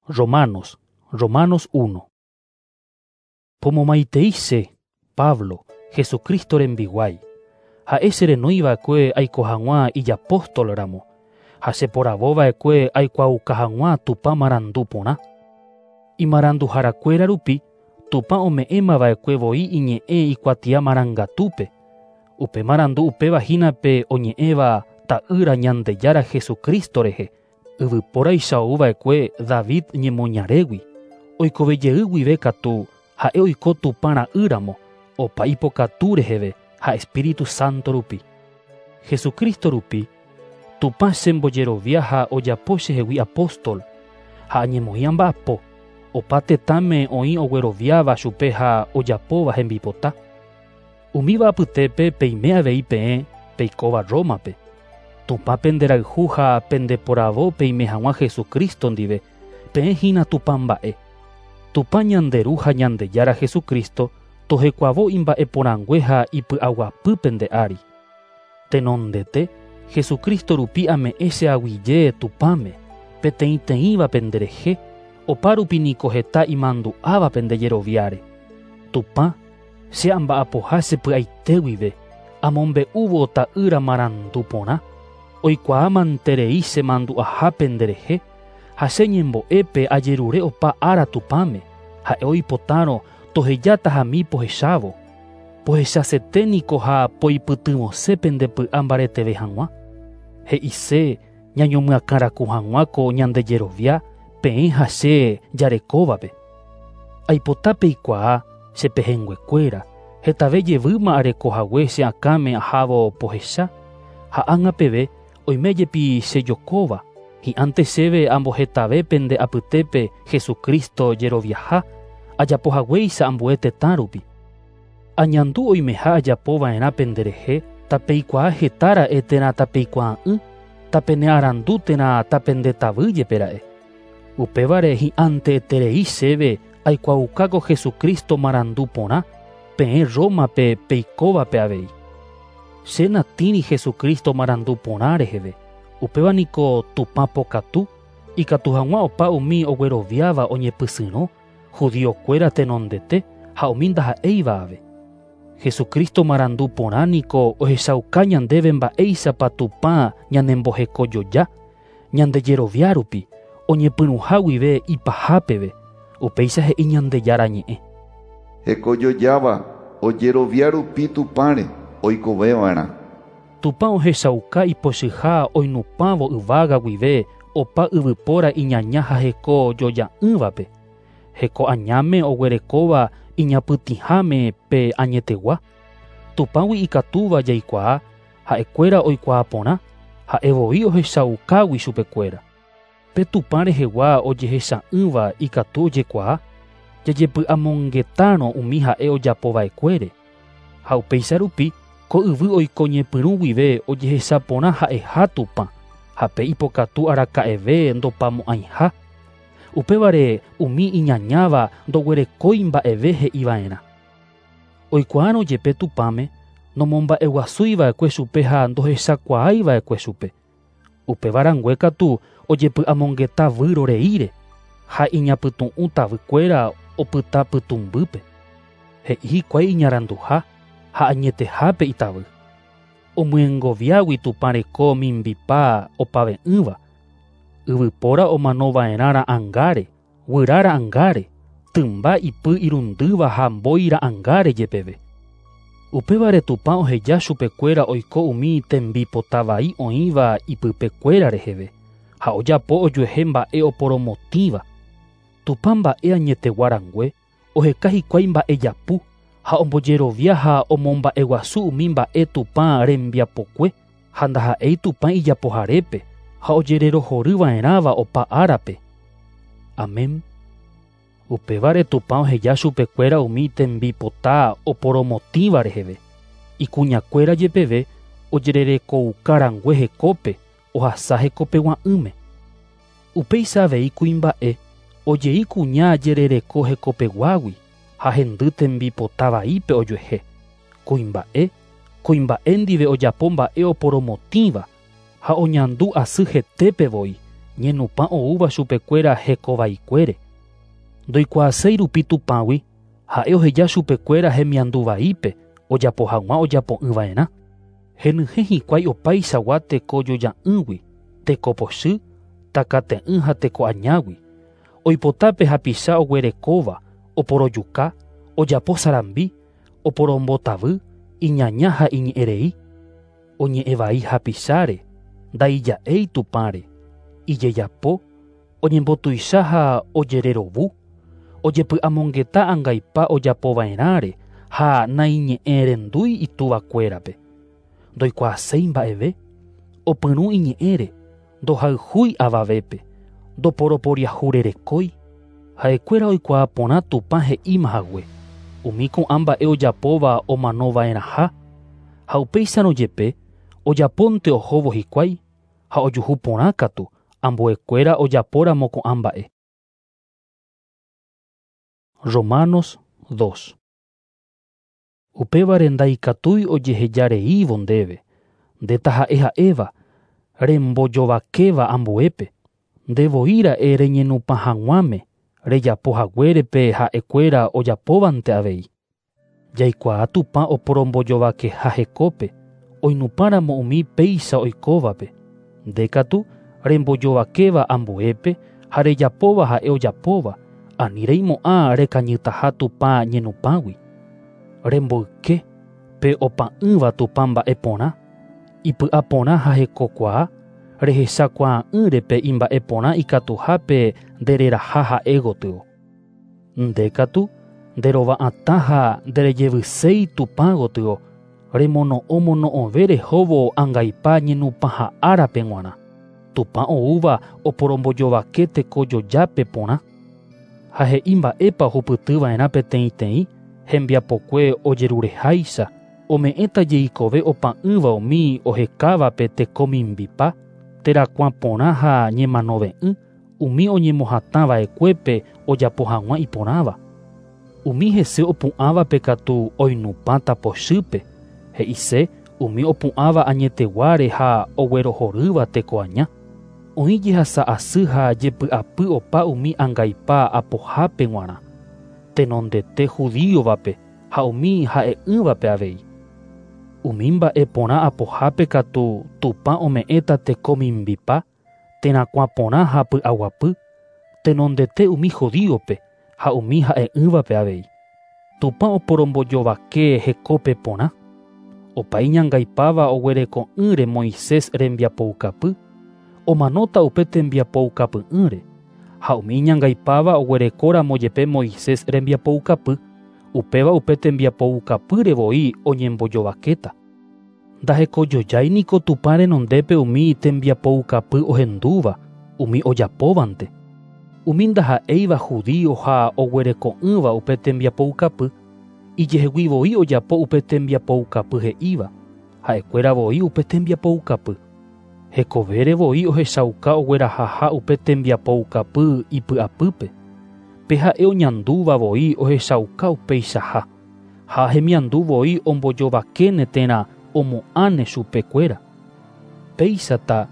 Romanos, Romanos 1. Pomomaitei che, Pablo, Jesucristo rembiguái. Ha'e cherenói va'ekue aiko hag̃ua ijapóstol ramo, ha cheporavo va'ekue aikuaauka hag̃ua Tupã marandu porã. Imaranduharakuéra rupi, Tupã ome'ẽma va'ekue voi iñe'ẽ ikuatia marangatúpe. Upe marandu upéva hína pe oñe'ẽva Ta'ýra Ñandejára Jesucristo rehe, yvypóraicha ou va'ekue David ñemoñarégui. Oikove jey guive katu ha'e oiko Tupã ra'y ramo, opa ipokatu reheve ha Espíritu Santo rupi. Jesucristo rupi, Tupã chembojerovia ha ojapo chehegui apóstol, ha añemoĩ amba'apo, opa tetãme oĩ ogueroviáva chupe ha ojapóva hembipota. Umíva apytépe peime avei peẽ peikóva Rómape. Tupã penderayhu ha pendeporavo peime hag̃ua Jesucristo ndive, peẽ hína Tupã mba'e. Tupã ñande Ru ha Ñandejára Jesucristo tohekuavo imba'eporãngue ha ipy'aguapy pende ári. Tenondete, Jesucristo rupi ame'ẽ che aguyje Tupãme, peteĩteĩva penderehe, opárupi niko heta imandu'áva pende jeroviáre. Tupã, che amba'apoha che py'aite guive, amombe'úvo Ta'ýra marandu porã, oikuaa manterei che mandu'aha penderehe, ha che ñembo'épe ajerure opa ára Tupãme, ha'e oipotárõ tohejáta pohechávo. Pohechasete niko ha poipytyvõse pende py'a mbareteve hag̃ua. He'ise ñañomyakãraku hag̃ua ko ñande jerovia peẽ ha che jarekóvape. Aipota peikuaa che pehẽnguekuéra, hetave jevýma areko hague che akãme ahávo pohecha, ha ág̃a peve oime jepi chejokóva, hi'ánte chéve ambohetave pende apytépe Jesucristo jeroviaha, ajapohaguéicha ambue tetã rupi. Añandu oimeha ajapova'erã penderehe, tapeikuaa hetára'e térã tapeikuaa'ỹ, tapenearandu térã tapendetavy jepera'e. Upévare hi'ánte eterei chéve aikuaaukáko Jesucristo marandu porã, peẽ Rómape peikóvape avei. Che natĩri Jesucristo marandu porã reheve, upéva niko Tupã pokatu, ikatu hag̃ua opa umi ogueroviáva oñepysyrõ, judiokuéra tenondete ha umi ndaha'éiva ave. Jesucristo marandu porã niko ohechauka ñandéve mba'éichapa Tupã ñanembohekojoja, ñande jerovia rupi, oñepyrũha guive ipahápeve, upéicha he'i Ñandejára ñe'ẽ. Hekojojáva ojerovia rupi Tupãre oikoveva'erã. Tupã ohechauka ipochyha oinupãvo yvága guive opa yvypóra iñaña ha hekojoja'ỹvape. Heko añáme oguerekóva iñapytĩháme pe añetegua. Tupãgui ikatúva jaikuaa, ha'ekuéra oikuaa porã, ha'e voi ohechaukágui chupekuéra. Pe Tupã rehegua ojehecha'ỹva ikatu ojekuaa, jajepy'amongetárõ umi ha'e ojapova'ekuére. Ha upéicha rupi, ko yvy oiko ñepyrũ guive ojehecha porã ha'eha Tupã, ha pe ipokatu araka'eve ndopamo'ãiha. Upévare umi iñañáva ndoguerekói mba'eve he'iva'erã. Oikuaárõ jepe Tupãme, nomomba'eguasúiva'ekue chupe ha ndohechakuaáiva'ekue chupe. Upéva rangue katu ojepy'amongeta výro reíre ha iñapytu'ũ tavykuéra opyta pytũmbýpe. He'i hikuái iñaranduha ha añetehápe itavy. Omyengoviágui Tupã reko mimbipa opave'ỹva. Yvypóra omanova'erã ra'ãngáre, guyra ra'ãngáre, tymba ipy irundýva ha mbói ra'ãngáre jepeve. Upévare Tupã oheja chupekuéra oiko umi tembipotavai oĩva ipypekuéra reheve, ha ojapo ojuehe mba'e oporomotĩva. Tupã mba'e añetegua rangue, oheka hikuái mba'e japu, ha ombojerovia ha omomba'eguasu umi mba'e Tupã rembiapokue, ha ndaha'éi Tupã ijapoharépe, ha ojererohoryva'erãva opa árape. Amén. Upévare Tupã oheja chupekuéra umi tembipota oporomotĩva reheve. Ikuñakuéra jepeve ojererekouka rangue hekópe, ohasa hekopegua'ỹme. Upéicha avei kuimba'e, ojei kuña jerereko hekopeguágui ha hendy tembipota vaípe ojuehe. Kuimba'e, kuimba'e ndive ojapo mba'e oporomotĩva ha oñandu asy hetépe voi, Ñenupã oúva chupekuéra hekovaikuére. Ndoikuaaséi rupi Tupãgui, ha'e oheja chupekuéra hemiandu vaípe ojapo hag̃ua ojapo'ỹva'erã. Henyhẽ hikuái opaichagua tekojoja'ỹgui, tekopochy, takate'ỹ ha tekoañágui. Oipotápe hapicha oguerekóva, oporojuka, ojapo sarambi, oporombotavy, iñaña ha iñe'ẽrei. Oñe'ẽvai hapicháre, ndaija'éi Tupãre, ijejapo, oñembotuicha ha ojererovu, ojepy'amongeta angaipa ojapova'erãre ha naiñe'ẽrendúi ituvakuérape. Ndoikuaaséi mba'eve, opyrũ iñe'ẽre, ndohayhúi avavépe, ndoporoporiahurerekói. Ha'ekuéra oikuaa porã Tupã he'íma hague, umi ko'ã mba'e ojapóva omanova'erãha, ha upéicharõ jepe ojapónte ohóvo hikuái ha ojuhu porã katu ambuekuéra ojapóramo ko'ã mba'e. Romanos 2. Upévare ndaikatúi ojehejareívo ndéve, nde taha'e ha'éva, rembojovakéva ambuépe, ndevoi ra'e reñenupã hag̃uáme, rejapo haguérepe ha'ekuéra ojapóvante avei. Jaikuaa Tupã oporombojovakeha hekópe, oinupãramo umi péicha oikóvape. Nde katu rembojovakéva ambuépe ha rejapóva ha'e ojapóva, ani reimo'ã rekañytaha Tupã ñenupãgui. Remboyke pe opa'ỹva Tupã mba'e porã, ipy'a porã ha hekokuaa, rehechakuaa'ỹre pe imba'e porã ikatuhápe ndereraha ha'e gotyo. Nde katu nderova'atã ha nderejevyséi Tupã gotyo, remono'õmono'õve rehóvo angaipa ñenupãha árape g̃uarã. Tupã oúva oporombojovake tekojojápe porã. Ha he'i mba'épa ohupytyva'erã peteĩteĩ, hembiapokue ojerureháicha, ome'ẽta jeikove opa'ỹva umi ohekávape tekomimbipa, terakuã porã ha ñemanove'ỹ, umi oñemohatãva'ekuépe ojapo hag̃ua iporãva. Umi hese opu'ãvape katu oinupãta pochýpe, he'ise umi opu'ãva añeteguáre ha oguerohorýva tekoaña. Oĩ jehasa asy ha jepy'apy opa umi angaipa apohápe g̃uarã, tenondete judíovape ha umi ha'e'ỹvape avei. Umi mba'e porã apohápe katu Tupã ome'ẽta tekomimbipa, terakuã porã ha py'aguapy, tenondete umi judíope ha umi ha'e'ỹvape avei. Tupã oporombojovake hekópe porã. Opa iñangaipáva oguereko'ỹre Moisés rembiapoukapy, omanóta upe tembiapoukapy'ỹre, ha umi iñangaipáva oguerekóramo jepe Moisés rembiapoukapy, upéva upe tembiapoukapýre voi oñembojovakéta. Ndahekojojái niko Tupã renondépe umi tembiapoukapy ohendúva, umi ojapóvante. Umi ndaha'éiva judío ha oguereko'ỹva upe tembiapoukapy, ijehegui voi ojapo upe tembiapoukapy he'íva, ha'ekuéra voi upe tembiapoukapy. Hekovére voi ohechauka oguerahaha upe tembiapoukapy ipy'apýpe. Pe ha'e oñandúva voi ohechauka upeichaha, ha hemiandu voi ombojovakéne térã omo'ãne chupekuéra. Péichata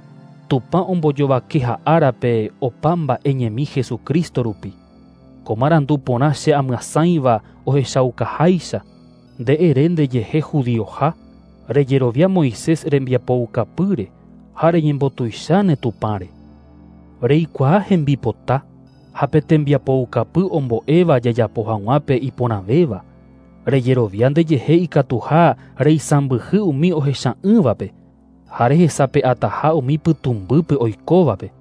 Tupã ombojovakeha árape opa mba'e ñemi Jesucristo rupi. Ko marandu porã che amyasãiva ohechaukaháicha, nde ere ndejehe judioha, rejerovia Moisés rembiapoukapýre ha reñembotuicháne Tupãre. Reikuaa hembipota ha pe tembiapoukapy ombo'éva jajapo hag̃ua pe iporãvéva, rejerovia ndejehe ikatuha reisãmbyhy umi ohecha'ỹvape, ha rehesape'ataha umi pytũmbýpe oikóvape.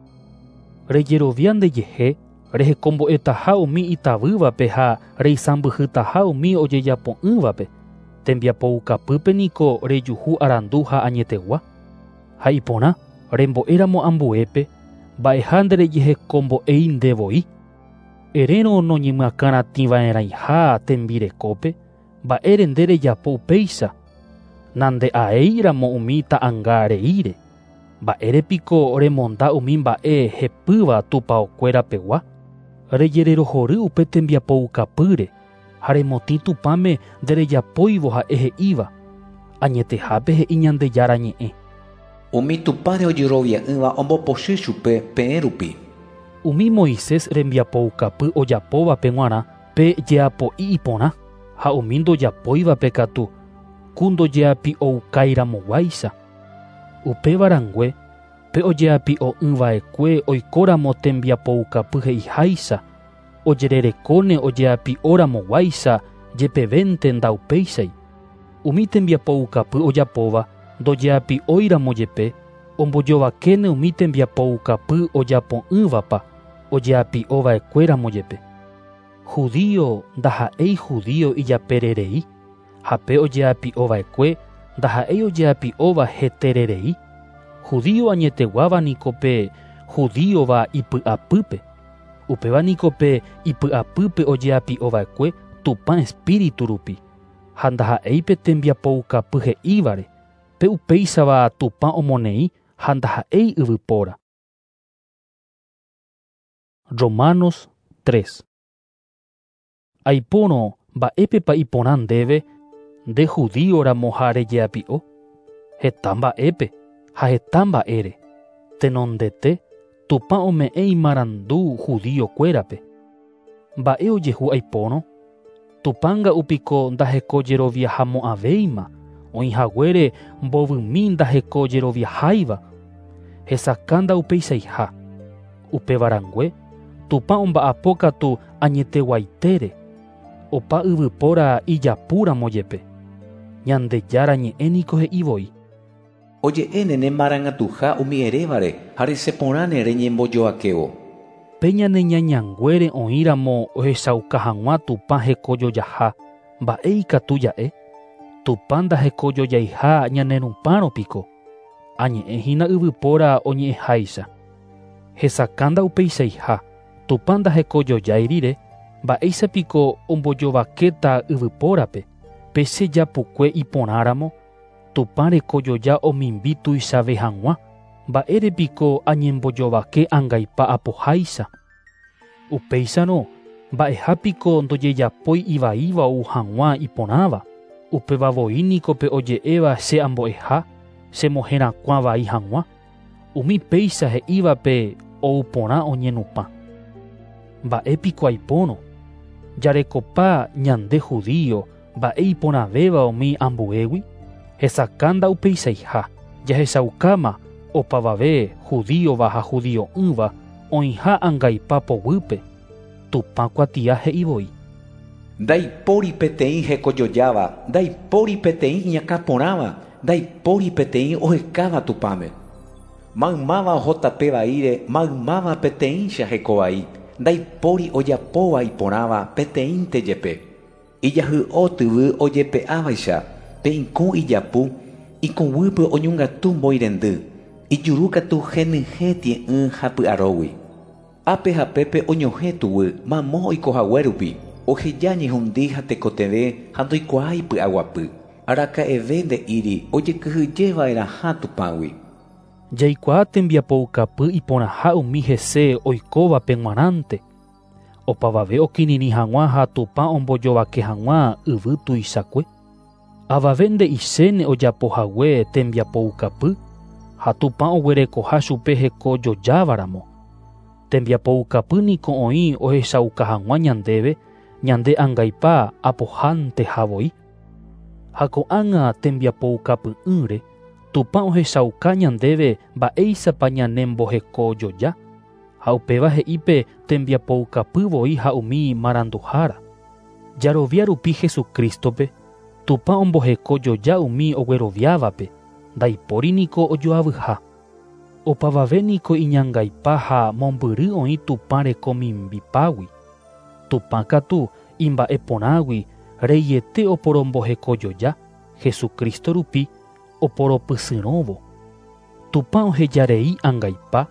Rejerovia ndejehe rehekombo'etaha umi itavývape ha reisãmbyhytaha umi ojejapo'ỹvape, tembiapoukapýpe niko rejuhu arandu ha añetegua. Ha iporã rembo'éramo ambuépe, mba'eha nderejehekombo'éi ndevoi. Erérõ noñemyakãratĩva'erãiha tembirekópe, mba'ére nde rejapo upéicha, nande'aéiramo umi ta'ãnga reíre. Mba'ére piko remonda umi mba'e hepýva tupaokuérapegua, rejererohory upe tembiapoukapýre ha remotĩ Tupãme nderejapóivo ha'e he'íva, añetehápe he'i Ñandejára ñe'ẽ. Umi Tupãre ojerovia'ỹva ombopochy chupe peẽ rupi. Umi Moisés rembiapoukapy ojapóvape g̃uarã pe jeapo'i iporã ha umi ndojapóivape katu ku ndojeapi'oukairamoguáicha. Upéva rangue pe ojeapi'o'ỹva'ekue oikóramo tembiapoukapy he'iháicha ojererekóne ojeapi'oramoguáicha jepevénte ndaupéichai. Umi tembiapoukapy ojapóva ndojeapi'óiramo jepe ombojovakéne umi tembiapoukapy ojapo'ỹvapa ojeapi'ova'ekuéramo jepe. Judío ndaha'éi judío ijapererei ha pe ojeapi'ova'ekue ndaha'éi ojeapi'óva hetererei. Judío añeteguáva niko pe judíova ipy'apýpe. Upéva niko pe ipy'apýpe ojeapi'ova'ekue Tupã espíritu rupi ha ndaha'éi pe tembiapoukapy he'ívare pe upéichava Tupã omoneĩ ha ndaha'éi yvypóra. Romanos 3. Aipórõ mba'épepa iporã ndéve nde judíoramo ha rejeapi'o heta mba'épe ha heta mba'ére. Tenondete Tupã ome'ẽ imarandu judíokuérape. Mba'e ojehu aipórõ? Tupã nga'upiko ndahekojeroviahamo'ãvéima oĩhaguére mbovymi ndahekojeroviaháiva. Hesakã ndaupeichaiha. Upéva rangue Tupã omba'apo katu añeteguaitére opa yvypóra ijapúramo jepe. Ñandejára ñe'ẽ niko he'i voi. Oje'éne ne marangatuha umi erévare ha reseporãne reñembojoakévo. Pe ñane ñañanguére oĩramo ohechauka hag̃ua Tupã hekojojaha mba'e ikatu ja'e. Tupã ndahekojojaiha ñane rupãro piko. Añe'ẽ hína yvypóra oñe'ẽháicha. Hesakã ndaupeichaiha. Tupã ndahekojojái rire mba'éichapiko ombojovakéta yvypórape. Pe che japukue iporãramo Tupã rekojoja omimbi tuichave hag̃ua mba'érepiko añembojovake angaipa apoháicha. Upéicharõ mba'ehápiko ndojejapói ivaíva ou hag̃ua iporãva. Upéva voi niko pe oje'éva che ambo'eha chemoherakuã vai hag̃ua. Umi péicha he'ívape ou porã oñenupã. Mba'épiko aipórõ? Jarekopa ñande judío mba'e iporãvéva umi ambuégui? Hesakã ndaupeichaiha. Jahechaukáma opavave judíova ha judio'ỹva oĩha angaipa poguýpe. Tupã kuatia he'i voi. Ndaipóri peteĩ hekojojáva, ndaipóri peteĩ iñakãporãva, ndaipóri peteĩ ohekáva Tupãme. Maymáva oho tape vaíre, maymáva peteĩcha hekovai, ndaipóri ojapóva iporãva peteĩnte jepe. Ijahy'o tyvy ojepe'ávaicha, pe ikũ ijapu, ikũguýpe oñongatu mboirendy, ijuru katu henyhẽ tie'ỹ ha py'arógui. Ápe ha pépe oñohẽ tuguy mamo oikohague rupi, oheja ñehundi ha tekotevẽ ha ndoikuaái py'aguapy. Araka'eve nde'íri ojekyhyjeva'erãha Tupãgui. Jaikuaa tembiapoukapy iporãha umi hese oikóvape g̃uarãnte. Opavave okirirĩ hag̃ua ha Tupã ombojovake hag̃ua yvy tuichakue. Avave nde'ichéne ojapohague tembiapoukapy ha Tupã oguerekoha chupe hekojojávaramo. Tembiapoukapy niko oĩ ohechauka hag̃ua ñandéve ñande angaipa apohánteha voi. Ha ko'ág̃a tembiapoukapy'ỹre Tupã ohechauka ñandéve mba'éichapa ñanembohekojoja ha upéva he'i pe tembiapoukapy voi ha umi maranduhára. Jarovia rupi Jesucristope Tupã ombohekojoja umi ogueroviávape ndaipóri niko ojoavyha. Opavave niko iñangaipa ha mombyry oĩ Tupã rekomimbipágui. Tupã katu imba'eporãgui reiete oporombohekojoja Jesucristo rupi oporopysyrõvo. Tupã ohejarei angaipa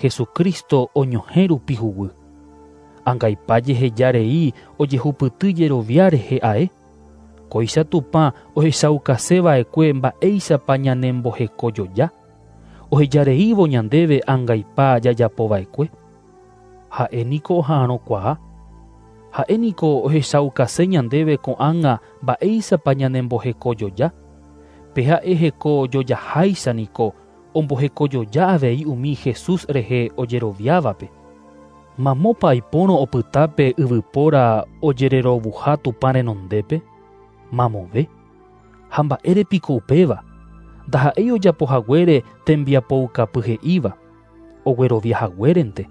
Jesucristo oñohẽ rupi huguy. Angaipa jehejarei ojehupyty jerovia rehe ae. Kóicha Tupã ohechaukaseva'ekue mba'éichapa ñanembohekojoja. Ohejareívo ñandéve angaipa jajapova'ekue. Ha'e niko oha'arõkuaa. Ha'e niko ohechaukase ñandéve ko'ág̃a mba'éichapa ñanembohekojoja. Pe ha'e hekojojaháicha niko ombohekojoja avei umi Jesús rehe ojeroviávape. Mamópa aipórõ opyta pe yvypóra ojererovuha Tupã renondépe? Mamove. Ha mba'ére piko upéva? Ndaha'éi ojapohaguére tembiapoukapy he'íva, ogueroviahaguérente.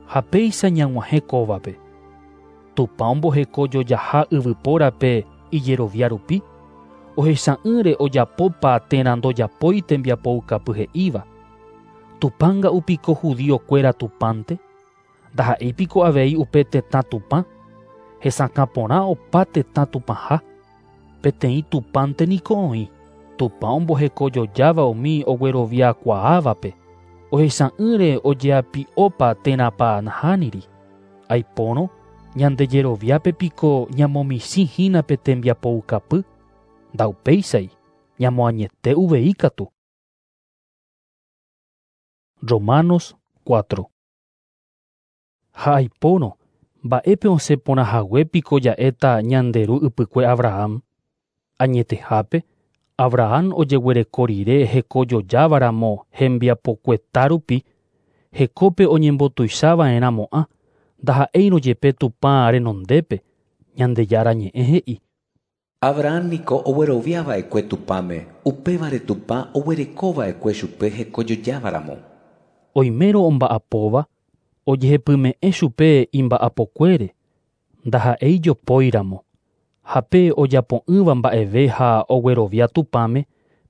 Ha péicha ñag̃uahẽ kóvape. Tupã ombohekojojaha yvypórape ijerovia rupi, ohecha'ỹre ojapópa térã ndojapói tembiapoukapy he'íva. Tupãnga'u piko judíokuéra Tupãnte? Ndaha'éi piko avei upe tetã Tupã? Hesakã porã opa tetã Tupãha. Peteĩ Tupãnte niko oĩ. Tupã ombohekojojáva umi ogueroviakuaávape, ohecha'ỹre ojeapi'ópa térãpa nahániri. Aipórõ, ñandejeroviápe piko ñamomichĩ hína pe tembiapoukapy? Ndaupéichai, ñamoañete uvei katu. Romanos 4. Ha aipórõ, mba'épe osẽ porãhague piko ja'éta ñande ru ypykue Abraham? Añetehápe, Abraham ojeguereko rire hekojojávaramo hembiapokueta rupi, hekópe oñembotuichava'erãmo'ã, ndaha'éirõ jepe Tupã renondépe, Ñandejára ñe'ẽ he'i. Abraham niko ogueroviava'ekue Tupãme, upévare Tupã oguerekova'ekue chupe hekojojávaramo. Oimérõ omba'apóva, ojehepyme'ẽ chupe imba'apokuére, ndaha'éi jopóiramo. Ha pe ojapo'ỹva mba'eve ha oguerovia Tupãme,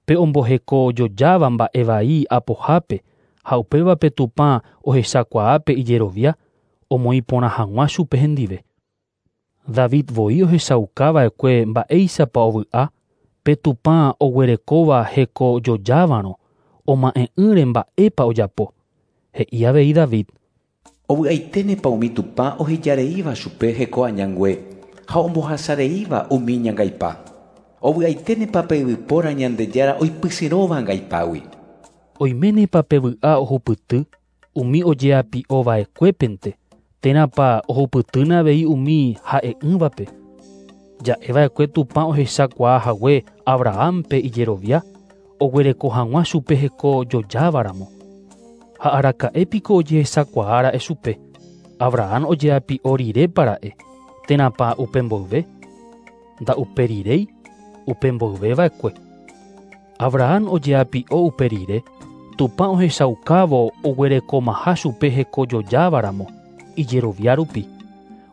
pe ombohekojojáva mba'e vai apohápe ha upévape Tupã ohechakuaápe ijerovia, omoĩ porã hag̃ua chupe hendive. David voi ohechaukava'ekue mba'éichapa ovy'a, pe Tupã oguerekóva hekojojávarõ, oma'ẽ'ỹre mba'épa ojapo. He'i avei David. Ovy'aiténepa umi Tupã ohejareíva chupe heko añangue ha ombohasareíva umi ñangaipa. Ovy'aiténepa pe yvypóra Ñandejára oipysyrõva angaipágui. Oiménepa pe vy'a ohupyty umi ojeapi'ova'ekuépente, térãpa ohupytýne avei umi ha'e'ỹvape. Ja'eva'ekue Tupã ohechakuaahague Abrahampe ijerovia, oguereko hag̃ua chupe hekojojávaramo. Ha araka'e piko ojehechakuaára'e chupe, Abraham ojeapi'o rirépara'e, térãpa upe mboyve? Nda'uperiréi, upe mboyveva'ekue. Abraham ojeapi'o upe rire, Tupã ohechaukávo oguerekomaha chupe hekojojávaramo, ijerovia rupi.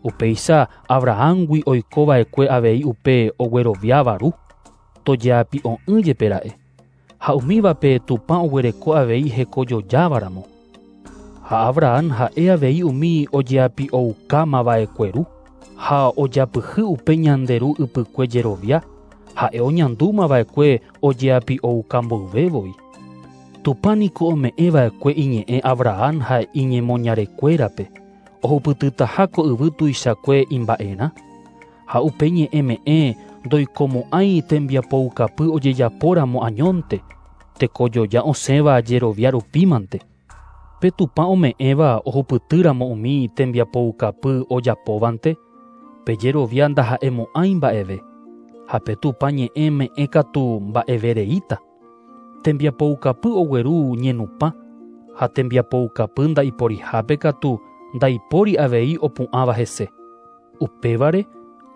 Upéicha Abrahamgui oikova'ekue avei upe ogueroviáva ru, tojeapi'o'ỹ jepera'e. Ha umívape Tupã oguereko avei hekojojávaramo. Ha Abraham ha'e avei umi ojeapi'oukámava'ekue ru, ha ojapyhy upe ñande ru ypykue jerovia, ha'e oñandúmava'ekue ojeapi'ouka mboyvévoi. Tupã niko ome'ẽva'ekue iñe'ẽ Abraham ha iñemoñarekuérape, ohupytytaha ko yvy tuichakue imba'erã, ha upe ñe'ẽme'ẽ ndoikomo'ãi tembiapoukapy ojejapóramo añónte, tekojoja osẽva jerovia rupímante. Pe Tupã ome'ẽva ohupytýramo umi tembiapoukapy ojapóvante, pe jerovia ndaha'emo'ãi mba'eve, ha pe Tupã ñe'ẽ me'ẽ katu mba'evereíta. Tembiapoukapy ogueru ñenupã, ha tembiapoukapy ndaiporihápe katu ndaipóri avei opu'ãva hese. Upévare,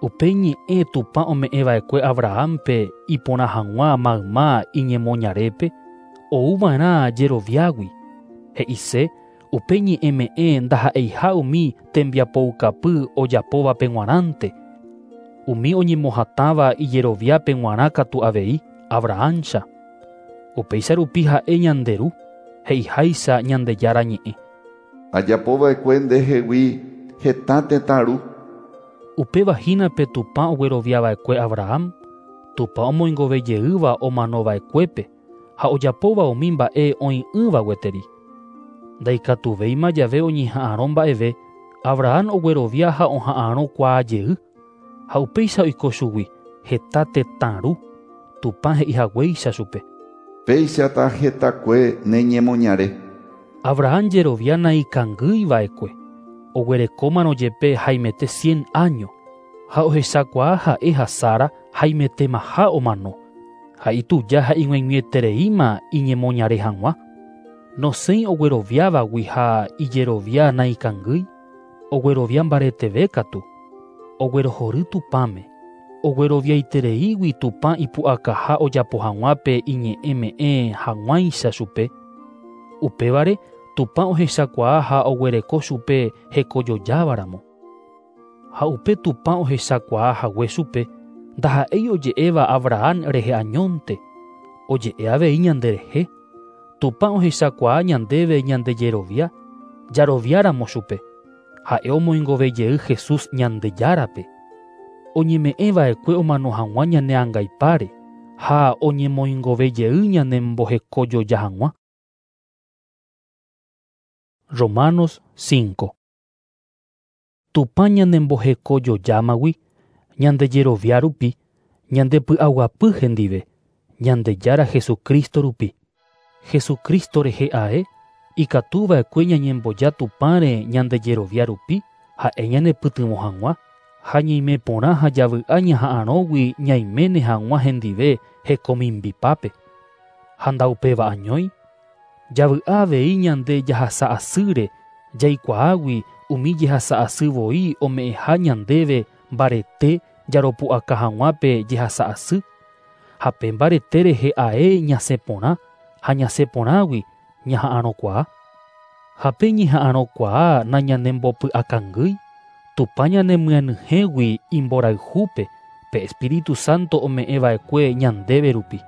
upe ñe'ẽ Tupã ome'ẽva'ekue Abrahampe iporã hag̃ua mayma iñemoñarépe, ouva'erã jeroviágui. He'ise, upe ñe'ẽme'ẽ ndaha'eiha umi tembiapoukapy ojapóvape g̃uarãnte, umi oñemohatãva ijeroviápe g̃uarã katu avei Abrahamcha. Upéicha rupi ha'e ñande ru, he'iháicha Ñandejára ñe'ẽ. Ajapova'ekue ndehegui heta tetã ru. Upéva hína pe Tupã ogueroviava'ekue Abraham, Tupã omoingovejeýva omanova'ekuépe ha ojapóva umi mba'e oĩ'ỹva gueteri. Ndaikatuvéima jave oñeha'ãrõ mba'eve, Abraham oguerovia ha oha'ãrõ kuaajey, ha upéicha oiko chugui heta tetã ru, Tupã he'ihaguéicha chupe. Péichata hetakue ne ñemoñare. Abraham jerovia naikangýiva'ekue, oguerekómarõ jepe haimete 100 año, ha ohechakuaa ha'e ha Sara haimetemaha omano, ha ituja ha ig̃uaig̃uietereíma iñemoñare hag̃ua. Nosẽi ogueroviávagui ha ijerovia naikangýi, oguerovia mbareteve katu, oguerohory Tupãme, ogueroviaitereígui Tupã ipu'akaha ojapo hag̃ua pe iñe'ẽme'ẽ hag̃uáicha chupe. Upévare Tupã ohechakuaa ha oguereko chupe hekojojávaramo. Ha upe Tupã ohechakuaa hague chupe ndaha'éi oje'éva Abraham rehe añónte, oje'e avei ñanderehe. Tupã ohechakuaa ñandéve ñandejerovia, jaroviáramo chupe. Ha'e omoingovejey Jesús Ñandejárape. Oñeme'ẽva'ekue omano hag̃ua ñane angaipáre ha oñemoingovejey ñanembohekojoja hag̃ua. Romanos 5. Tupã ñanembohekojojámagui, ñandejerovia rupi, ñandepy'aguapy hendive, Ñandejára Jesucristo rupi. Jesucristo rehe ae, ikatuva'ekue ñañemboja Tupãre ñandejerovia rupi, ha'e ñanepytyvõ hag̃ua, ha ñaime porã ha javy'a ñaha'arõgui ñaiméne hag̃ua hendive hekomimbipápe. Ha ndaupéva añói, javy'a avei ñande jahasa asýre jaikuaágui umi jehasa asy voi ome'ẽha ñandéve mbarete jaropu'aka hag̃ua pe jehasa asy, ha pe mbarete rehe ae ñasẽ porã ha ñasẽ porãgui ñaha'arõkuaa. Ha pe ñeha'arõkuaa nañanembopy'akangýi, Tupã ñanemyenyhẽgui imborayhúpe pe Espíritu Santo ome'ẽva'ekue ñandéve rupi.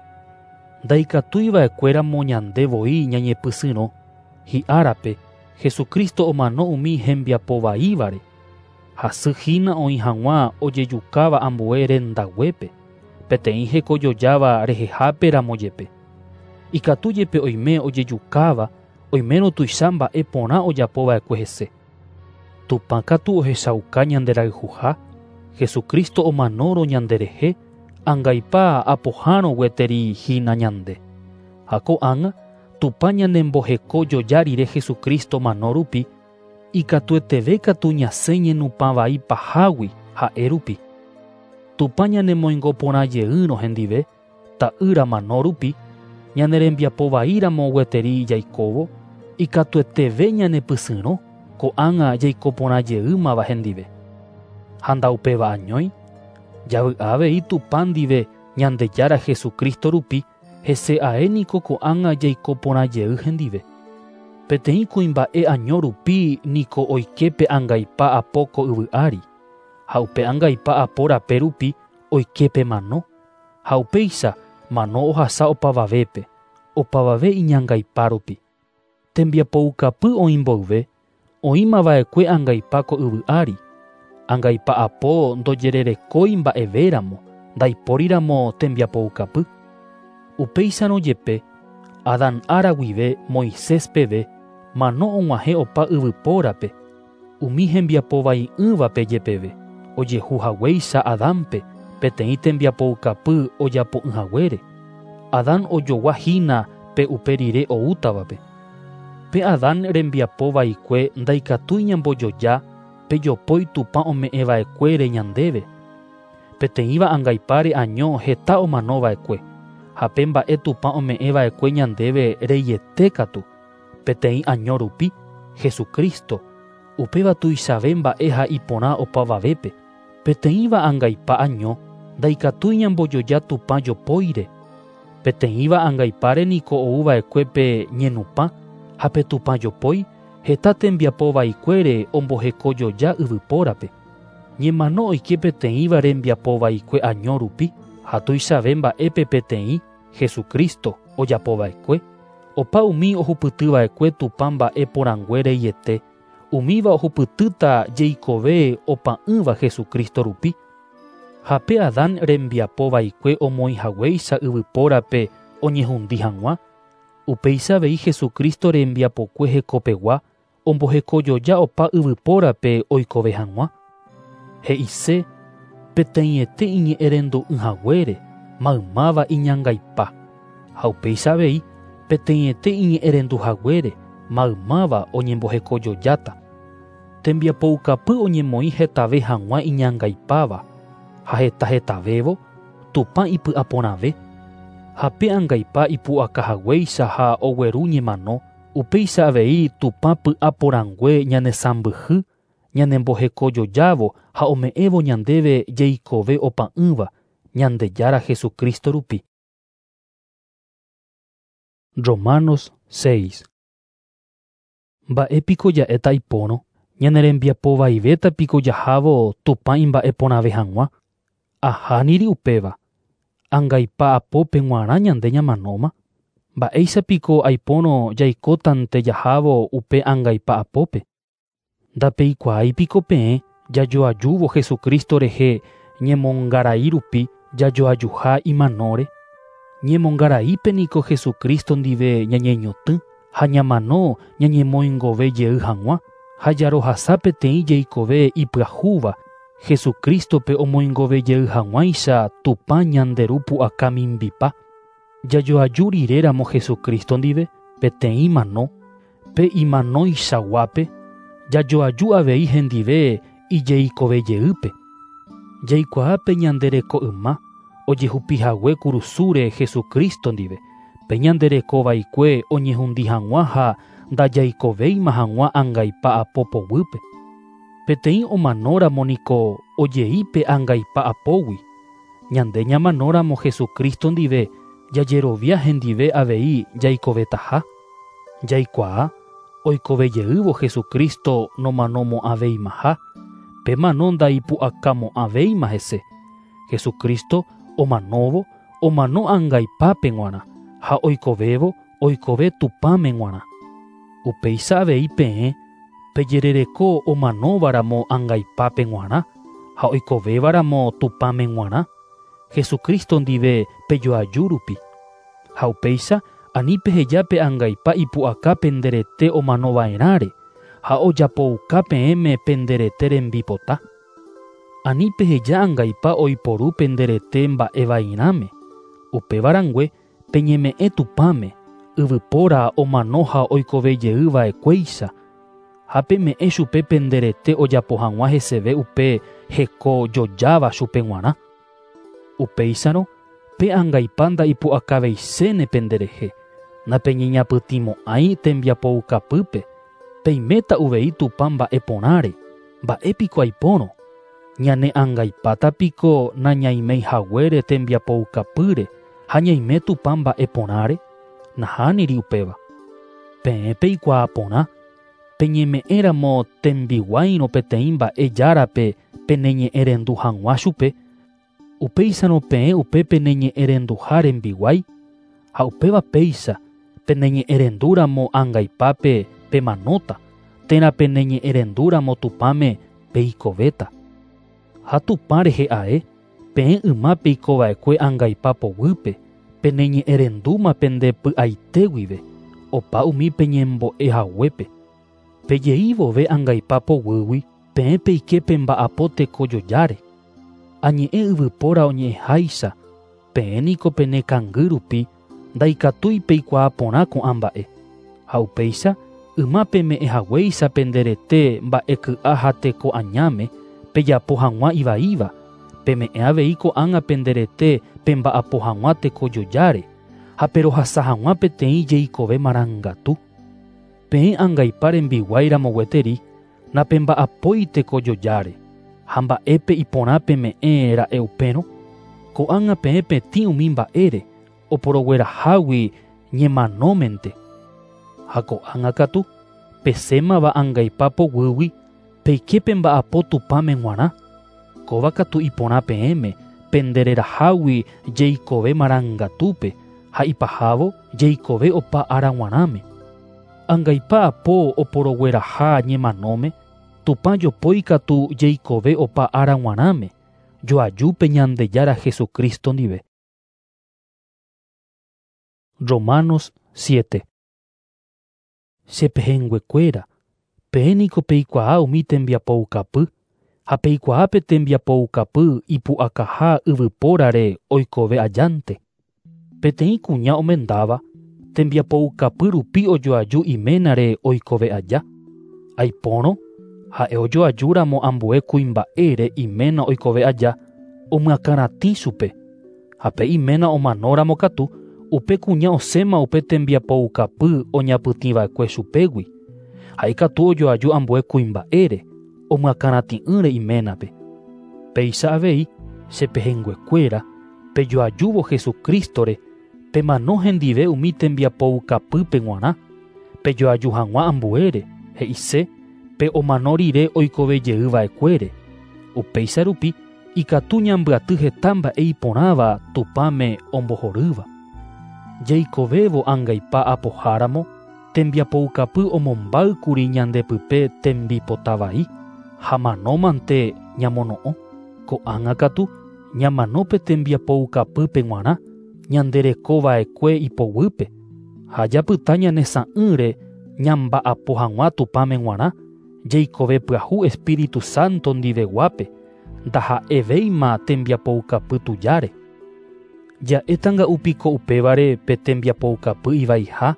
Ndaikatuiva'ekuéramo ñande voi ñañepysyrõ, hi'árape Jesucristo omano umi hembiapovaívare. Hasy hína oĩ hag̃ua ojejukáva ambue rendaguépe, peteĩ hekojojáva rehehápe ramo jepe. Ikatu jepe oime ojejukáva, oimérõ tuicha mba'e porã ojapova'ekue hese. Tupã katu ohechauka ñanderayhuha, Jesucristo omanórõ ñanderehe, angaipa apohárõ gueteri hína ñande. Ha ko'ág̃a, Tupã ñanembohekojoja rire Jesucristo mano rupi, ikatueteve katu ñasẽ ñenupã vai pahágui ha'e rupi. Tupã ñanemoingo porã jeýrõ hendive, ta'ýra mano rupi, ñanerembiapovaíramo gueteri jaikóvo, ikatueteve ñanepysyrõ, ko'ág̃a jaiko porã jeýmava hendive. Ha ndaupéva añói, javy'a avei Tupã ndive Ñandejára Jesucristo rupi, hese ae niko ko'ág̃a jaiko porã jey hendive. Peteĩ kuimba'e año rupi niko oike pe angaipa apo ko yvy ári, ha upe angaipa apo rape rupi oike pe mano, ha upéicha mano ohasa opavavépe, opavave iñangaipa rupi. Tembiapoukapy oĩ mboyve, oĩmava'ekue angaipa ko yvy ári, angaipa apo ndojererekói mba'evéramo, ndaipóriramo tembiapoukapy. Upéicharõ jepe, Adán ára guive Moisés peve, mano og̃uahẽ opa yvypórape, umi hembiapovai'ỹvape jepeve, ojehu haguéicha Adánpe peteĩ tembiapoukapy ojapo'ỹhaguére. Adán ojogua hína pe upe rire oútavape. Pe Adán rembiapovaikue ndaikatúi ñambojoja pe jopói Tupã ome'ẽva'ekuére ñandéve. Peteĩva angaipáre año heta omanova'ekue, ha pe mba'e Tupã ome'ẽva'ekue ñandéve reiete katu, peteĩ año rupi, Jesucristo, upéva tuichave mba'e ha iporã opavavépe. Peteĩva angaipa año ndaikatúi ñambojoja Tupã jopóire. Peteĩva angaipáre niko ouva'ekue pe ñenupã ha pe Tupã jopói heta tembiapovaikuére ombohekojoja yvypórape. Ñemano oike peteĩva rembiapovaikue año rupi, ha tuichave mba'épe peteĩ Jesucristo ojapova'ekue, opa umi ohupytyva'ekue Tupã mba'e porãngue reiete, umíva ohupytýta jeikove opa'ỹva Jesucristo rupi. Ha pe Adán rembiapovaikue omoĩhaguéicha yvypórape oñehundi hag̃ua, upéicha avei Jesucristo rembiapokue hekopegua ombohekojoja opa yvypórape oikove hag̃ua. He'ise peteĩete iñe'ẽrendu'ỹhaguére maymáva iñangaipa, ha upéicha avei peteĩete iñe'ẽrenduhaguére maymáva oñembohekojojáta. Tembiapoukapy oñemoĩ hetave hag̃ua iñangaipáva, ha heta hetavévo Tupã ipy'aporãve. Ha pe angaipa ipu'akahaguéicha ha ogueru ñemano, Upéicha avei Tupã py'aporãngue ñanesãmbyhy, ñanembohekojojávo ha ome'ẽvo ñandéve jeikove opa'ỹva Ñandejára Jesucristo rupi. Romanos 6. Mba'épiko ja'éta ipórõ, ñane rembiapovaivéta piko jahávo Tupã imba'eporãve hag̃ua. Ahániri upéva. Angaipa apópe g̃uarã ñande ñamanóma. Mba'éicha piko aipórõ jaikótante jahávo upe angaipa apópe. Ndapeikuaái piko peẽ jajoajúvo Jesucristo rehe ñemongarai rupi jajoajuha imanóre. Ñemongaraípe niko Jesucristo ndive ñañeñotỹ ha ñamano ñañemoingove jey hag̃ua ha jarohasa peteĩ jeikove ipyahúva Jesucristope omoingove jey hag̃uáicha Tupã ñande Ru pu'aka mimbipa. Jajoaju riréramo Jesucristo ndive peteĩ mano, pe imanóichaguápe, jajoaju avei hendive ijeikove jeýpe. Jaikuaa pe ñande reko yma ojehupihague kurusúre Jesucristo ndive, pe ñande reko vaikue oñehundi hag̃ua ha ndajaikovéima hag̃ua angaipa apo poguýpe. Peteĩ omanóramo niko ojei pe angaipa apógui. Ñande ñamanóramo Jesucristo ndive jajerovia hendive avei jaikovetaha. Jaikuaa oikovejeývo Jesucristo nomanomo'ãveimaha, pe mano ndaipu'akamo'ãvéima hese. Jesucristo omanóvo omano angaipápe g̃uarã ha oikovévo oikove Tupãme g̃uarã. Upéicha avei peẽ pejerereko omanóvaramo angaipápe g̃uarã ha oikovévaramo Tupãme g̃uarã, Jesucristo ndive pejoaju rupi. Ha upéicha ani peheja pe angaipa ipu'aka penderete omanova'erãre ha ojapouka peẽme penderete rembipota. Ani peheja angaipa oiporu penderete mba'evairãme. Upévarangue peñeme'ẽ Tupãme, yvypóra omano ha oikovejeyva'ekuéicha ha peme'ẽ chupe penderete ojapo hag̃ua heseve upe hekojojáva chupe g̃uarã. Upéicharõ pe angaipa ndaipu'akaveichéne penderehe, napeñeñapytĩmo'ãi tembiapoukapýpe, peiméta uvei Tupã mba'eporãre, mba'épiko aipórõ. Ñane angaipáta piko nañaimeihaguére tembiapoukapýre ha ñaime Tupã mba'eporãre, nahániri upéva. Peẽ peikuaa porã, peñeme'ẽramo tembiguáirõ peteĩ mba'e járape peneñe'ẽrendu hag̃ua chupe, upéicharõ peẽ upe peneñe'ẽrenduha rembiguái, ha upéva péicha peneñe'ẽrendúramo angaipápe pemanóta, térã peneñe'ẽrendúramo Tupãme peikovéta. Ha Tupã rehe ae, peẽ yma peikova'ekue angaipa poguýpe, peneñe'ẽrendúma pende py'aite guive, opa umi peñembo'ehaguépe. Pejei vove angaipa poguýgui, peẽ peike pemba'apo tekojojáre. Añe'ẽ yvypóra oñe'ẽháicha, peẽ niko penekangy rupi ndaikatúi peikuaa porã ko'ã mba'e. Ha upéicha yma peme'ẽhaguéicha penderete mba'eky'a ha teko añáme pejapo hag̃ua ivaíva, peme'ẽ avei ko'ág̃a penderete pemba'apo hag̃ua tekojojáre ha perohasa hag̃ua peteĩ jeikove marangatu. Peẽ angaipa rembiguáiramo gueteri napemba'apói tekojojáre ha mba'épe iporã peme'ẽ ra'e upérõ, ko'ág̃a peẽ petĩ umi mba'ére oporoguerahágui ñemanómente. Ha ko'ág̃a katu pesémava angaipa poguýgui peike pemba'apo Tupãme g̃uarã. Kóva katu iporã peẽme pendererahágui jeikove marangatúpe ha ipahávo jeikove opa ára g̃uarãme. Angaipa apo oporogueraha ñemanóme, Tupã jopói katu jeikove opa ára g̃uarãme, joajúpe Ñandejára Jesucristo ndive. Romanos 7. Chepehẽnguekuéra, peẽ niko peikuaa umi tembiapoukapy, ha peikuaa pe tembiapoukapy ipu'akaha yvypórare oikove ajánte. Peteĩ kuña omendáva, tembiapoukapy rupi ojoaju iménare oikove aja. Aipórõ, ha'e ojoajúramo ambue kuimba'ére iména oikove aja, omyakãratĩ chupe. Ha pe iména omanóramo katu, upe kuña osẽma upe tembiapoukapy oñapytĩva'ekue chupégui ha ikatu ojoaju ambue kuimba'ére omyakãratĩ'ỹre iménape. Péicha avei che pehẽnguekuéra pejoajúvo Jesucrístore pemano hendive umi tembiapoukapýpe g̃uarã pejoaju hag̃ua ambuére he'ise pe omano rire oikovejeyva'ekuére. Upéicha rupi ikatu ñambyaty heta mba'e iporãva Tupãme ombohorýva. Jaikovévo angaipa apoháramo tembiapoukapy omombáykuri ñandepype tembipota vai ha manómante ñamono'õ. Ko'ág̃a katu ñamano pe tembiapoukapýpe g̃uarã ñanderekova'ekue ipoguýpe ha japyta ñanesa'ỹre ñamba'apo hag̃ua Tupãme g̃uarã jaikove pyahu Espíritu Santo ndiveguápe ndaha'evéima tembiapoukapy tujáre. Ja'étanga'upiko upévare pe tembiapoukapy ivaiha?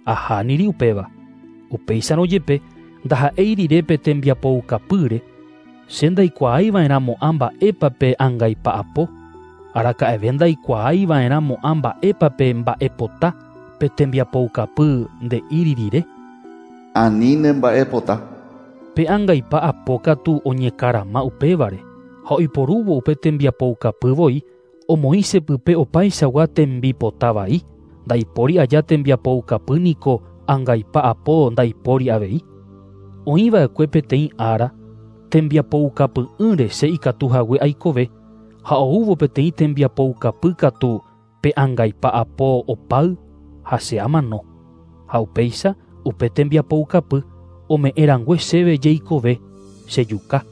Ahániri upéva. Upéicharõ jepe ndaha'éi rire pe tembiapoukapýre che ndaikuaaiva'erãmo'ã mba'épa pe angaipa'apo. Araka'eve ndaikuaaiva'erãmo'ã mba'épa pe mba'epota pe tembiapoukapy nde'íri rire. Ani nemba'epota. Pe angaipa'apo katu oñekarama upévare ha oiporúvo upe tembiapoukapy voi omoĩ chepype opaichagua tembipota vai ndaipóri aja tembiapoukapy niko angaipa'apo ndaipóri avei. Oĩva'ekue peteĩ ára tembiapoukapy'ỹre che ikatu hague aikove ha oúvo peteĩ tembiapoukapy katu pe angaipa'apo opáy ha che amano. Ha upéicha upe tembiapoukapy ome'ẽrangue chéve jeikove chejuka.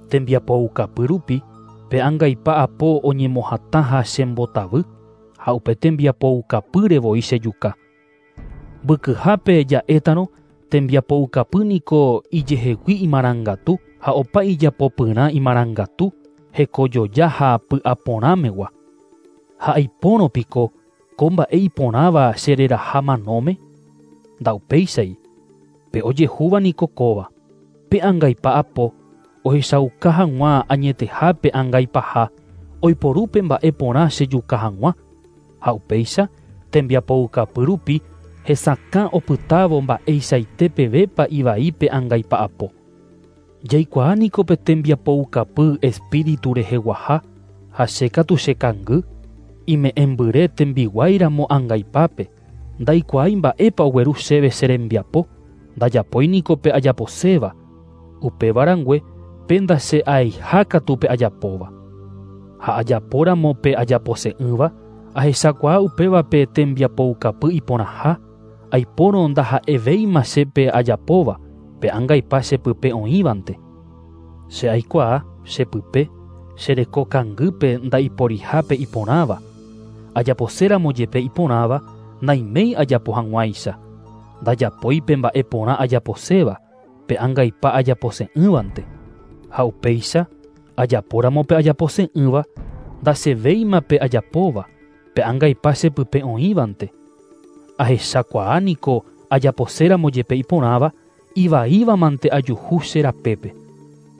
Tembiapoukapy rupi pe angaipa'apo oñemohatã ha chembotavy ha upe tembiapoukapýre voi chejuka. Mbykyhápe ja'étarõ tembiapoukapy niko ijehegui imarangatu ha opa ijapopyrã imarangatu hekojoja ha py'aporãmegua. Ha aipórõpiko ko mba'e iporãva chereraha manóme? Ndaupéichai. Pe ojehúva niko kóva. Pe angaipa'apo ohechauka hag̃ua añetehápe angaipaha oiporu pe mba'e porã chejuka hag̃ua. Ha upéicha tembiapoukapy rupi hesakã opytávo mba'eichaite pevépa ivai pe angaipa'apo. Jaikuaa niko pe tembiapoukapy espíritu reheguaha ha che katu chekangy ime'ẽmbyre tembiguáiramo angaipápe ndaikuaái mba'épa ogueru chéve che rembiapo ndajapói niko pe ajaposéva upéva rangue pe ndache'aiha katu pe ajapóva. Ha ajapóramo pe ajapose'ỹva ahechakuaa upéva pe tembiapoukapy iporãha aipórõ ndaha'evéima che pe ajapóva pe angaipa chepype oĩvante. Che aikuaa chepype cherekokangýpe ndaiporihápe iporãva. Ajaposéramo jepe iporãva naiméi ajapo hag̃uáicha. Ndajapói pe mba'e porã ajaposéva pe angaipa ajapose'ỹvante. Ha upéicha ajapóramo pe ajapose'ỹva ndachevéima pe ajapóva pe angaipa chepype oĩvante. Ahechakuaa niko ajaposéramo jepe iporãva ivaívamante ajuhu che rapépe.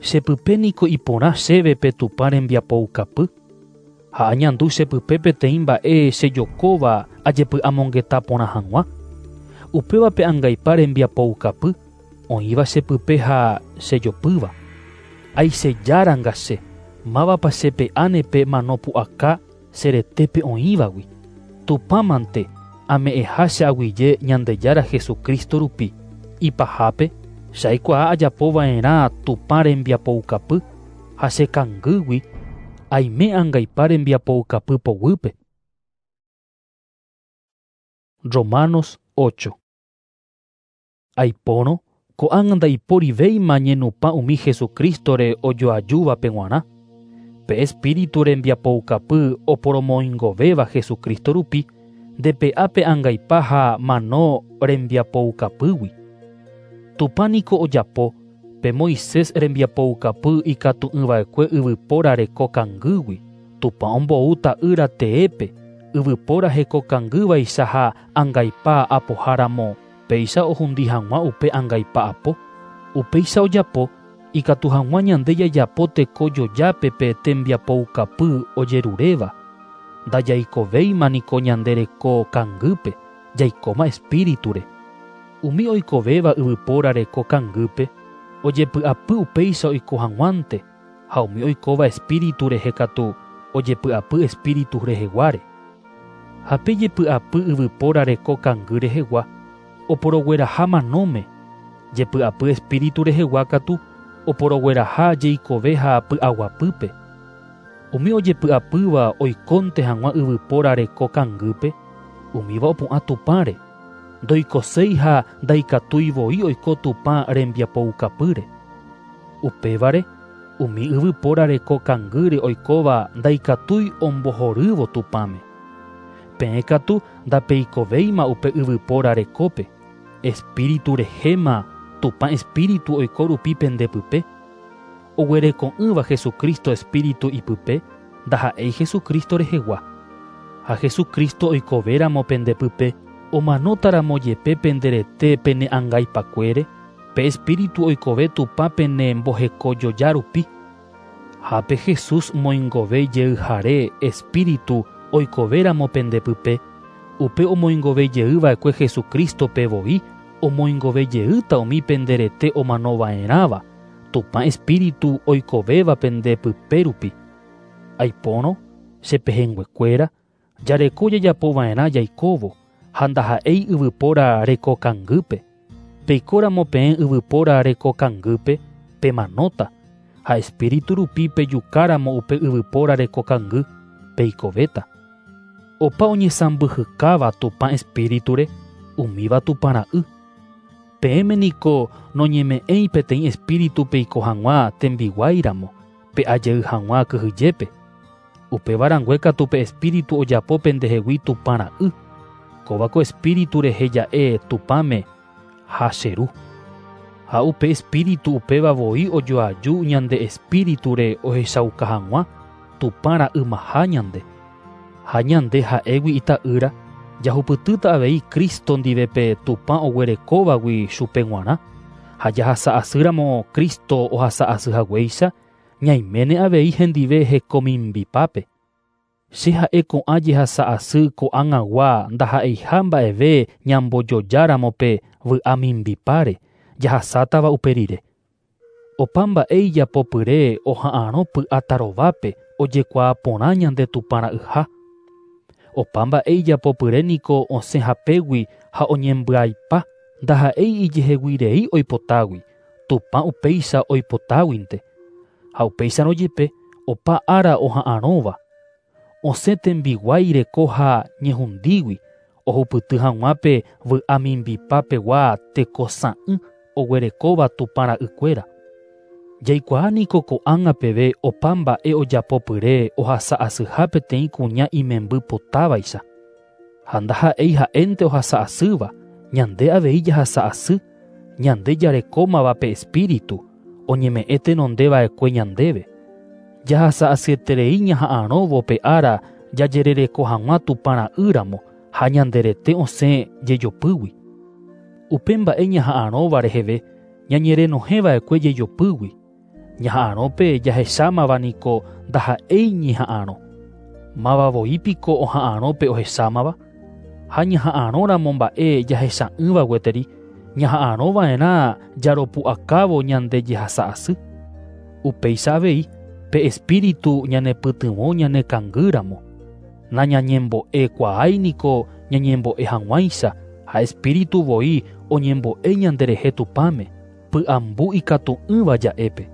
Chepype niko iporã chéve pe Tupã rembiapoukapy ha añandu chepype peteĩ mba'e chejokóva ajepy'amongeta porã hag̃ua. Upéva pe angaipa rembiapoukapy oĩva chepype ha chejopýva. Aichejáranga che mávapa chepe'áne pe mano pu'aka che retépe oĩvagui. Tupãmante ame'ẽha che aguyje Ñandejára Jesucristo rupi. Ipahápe che aikuaa ajapova'erã Tupã rembiapoukapy ha chekangýgui aime angaipa rembiapoukapy poguýpe. Romanos 8. Aipórõ ko'ág̃a ndaiporivéima ñenupã umi Jesucrístore ojoajúvape g̃uarã. Pe Espíritu rembiapoukapy oporomoingovéva Jesucristo rupi ndepe'a pe angaipa ha mano rembiapoukapýgui. Tupã niko ojapo pe Moisés rembiapoukapy ikatu'ỹva'ekue yvypóra rekokangýgui. Tupã ombou ta'ýra teépe yvypóra hekokangývaicha ha angaipa apoháramo péicha ohundi hag̃ua upe angaipa'apo. Upéicha ojapo ikatu hag̃ua ñande jajapo tekojojápe pe tembiapoukapy ojeruréva. Ndajaikovéima niko ñande reko kangýpe, jaikóma espíriture. Umi oikovéva yvypóra reko kangýpe, ojepy'apy upéicha oiko hag̃uánte, ha umi oikóva espíritu rehe katu ojepy'apy espíritu reheguáre. Ha pe jepy'apy yvypóra reko kangy rehegua, oporogueraha manóme, jepy'apy espíritu rehegua katu oporogueraha jeikove ha py'aguapýpe. Umi ojepy'apýva oikónte hag̃ua yvypóra reko kangýpe, umíva opu'ã Tupãre, ndoikoséi ha ndaikatúi voi oiko Tupã rembiapoukapýre. Upévare, umi yvypóra reko kangýre oikóva ndaikatúi ombohorývo Tupãme. Peẽ katu ndapeikovéima upe yvypóra rekópe, espíritu rehéma Tupã espíritu oiko rupi pendepype. Oguereko'ỹva Jesucristo espíritu ipype, ndaha'éi Jesucristo rehegua. Ha Jesucristo oikovéramo pendepype, omanótaramo jepe penderete pene angaipakuére, pe espíritu oikove Tupã pene mbohekojoja rupi. Ha pe Jesús moingove jeyhare espíritu oikovéramo pendepype, upe omoingove jeyva'ekue Jesucristo-pe voi, omoingove jeýta umi penderete omanova'erãva, Tupã espíritu oikovéva pendepype rupi. Aipórõ, che pehẽnguekuéra, jareko jajapova'erã jaikóvo, ha ndaha'éi yvypóra reko kangýpe. Peikóramo peẽ yvypóra reko kangýpe, pemanóta, ha espíritu rupi pejukáramo upe yvypóra reko kangy, peikovéta. Opa oñesãmbyhykáva Tupã espíriture, umíva Tupã ra'y. Peẽme niko noñeme'ẽi peteĩ espíritu peiko hag̃ua tembiguáiramo, pe'ajey hag̃ua kyhyjépe. Upéva rangue katu pe espíritu ojapo pendehegui Tupã ra'y. Kóva ko espíritu rehe ja'e Tupãme ha che ru. Ha upe espíritu upéva voi ojoaju ñande espíriture ohechauka hag̃ua Tupã ra'ymaha ñande. Ha ñande ha'égui ita'ýra, jahupytýta avei Cristo ndive pe Tupã oguerekóvagui chupe g̃uarã, ha jahasa'asýramo Cristo ohasa'asy haguéicha, ñaiméne avei hendive hekomimbipápe. Che ha'e ko'ã jehasa'asy ko'ag̃agua ndaha'eiha mba'eve ñambojojáramo pe vy'a mimbipáre, jahasátava upe rire. Opa mba'e ijapopyre oha'arõ py'atarovápe ojekuaa porã ñande Tupã ra'yha. Opa mba'e ijapopyre niko osẽ hapégui ha oñembyaipa ndaha'éi ijeheguirei oipotágui, Tupã upéicha oipotáguinte. Ha upéicharõ jepe opa ára oha'arõva. Osẽ tembiguái reko ha ñehundígui, ohupyty hag̃ua pe vy'a mimbipapegua tekosã'ỹ oguerekóva Tupã ra'ykuéra. Jaikuaa niko ko'ág̃a peve opa mba'e ojapopyre ohasa'asyha peteĩ kuña imemby potávaicha. Ha ndaha'éi ha'énte ohasa'asýva, ñande avei jahasa'asy, ñande jarekómava pe espíritu, oñeme'ẽ tenondeva'ekue ñandéve. Jahasa'asyeterei ñaha'arõvo pe ára jajerereko hag̃ua Tupã ra'ýramo ha ñanderete osẽ jejopýgui. Upe mba'e ñaha'arõva reheve ñañerenohẽva'ekue jejopýgui. Ñaha'arõ pe jahechámava niko ndaha'éi ñeha'arõ. Máva voi piko oha'arõ pe ohechámava? Ha ñaha'arõramo mba'e jahecha'ỹva gueteri, ñaha'arõva'erã jaropu'akávo ñande jehasa'asy. Upéicha avei, pe espíritu ñanepytyvõ ñanekangýramo. Nañañembo'ekuaái niko ñañembo'e hag̃uáicha ha espíritu voi oñembo'e ñanderehe Tupãme, py'ambu ikatu'ỹva ja'épe.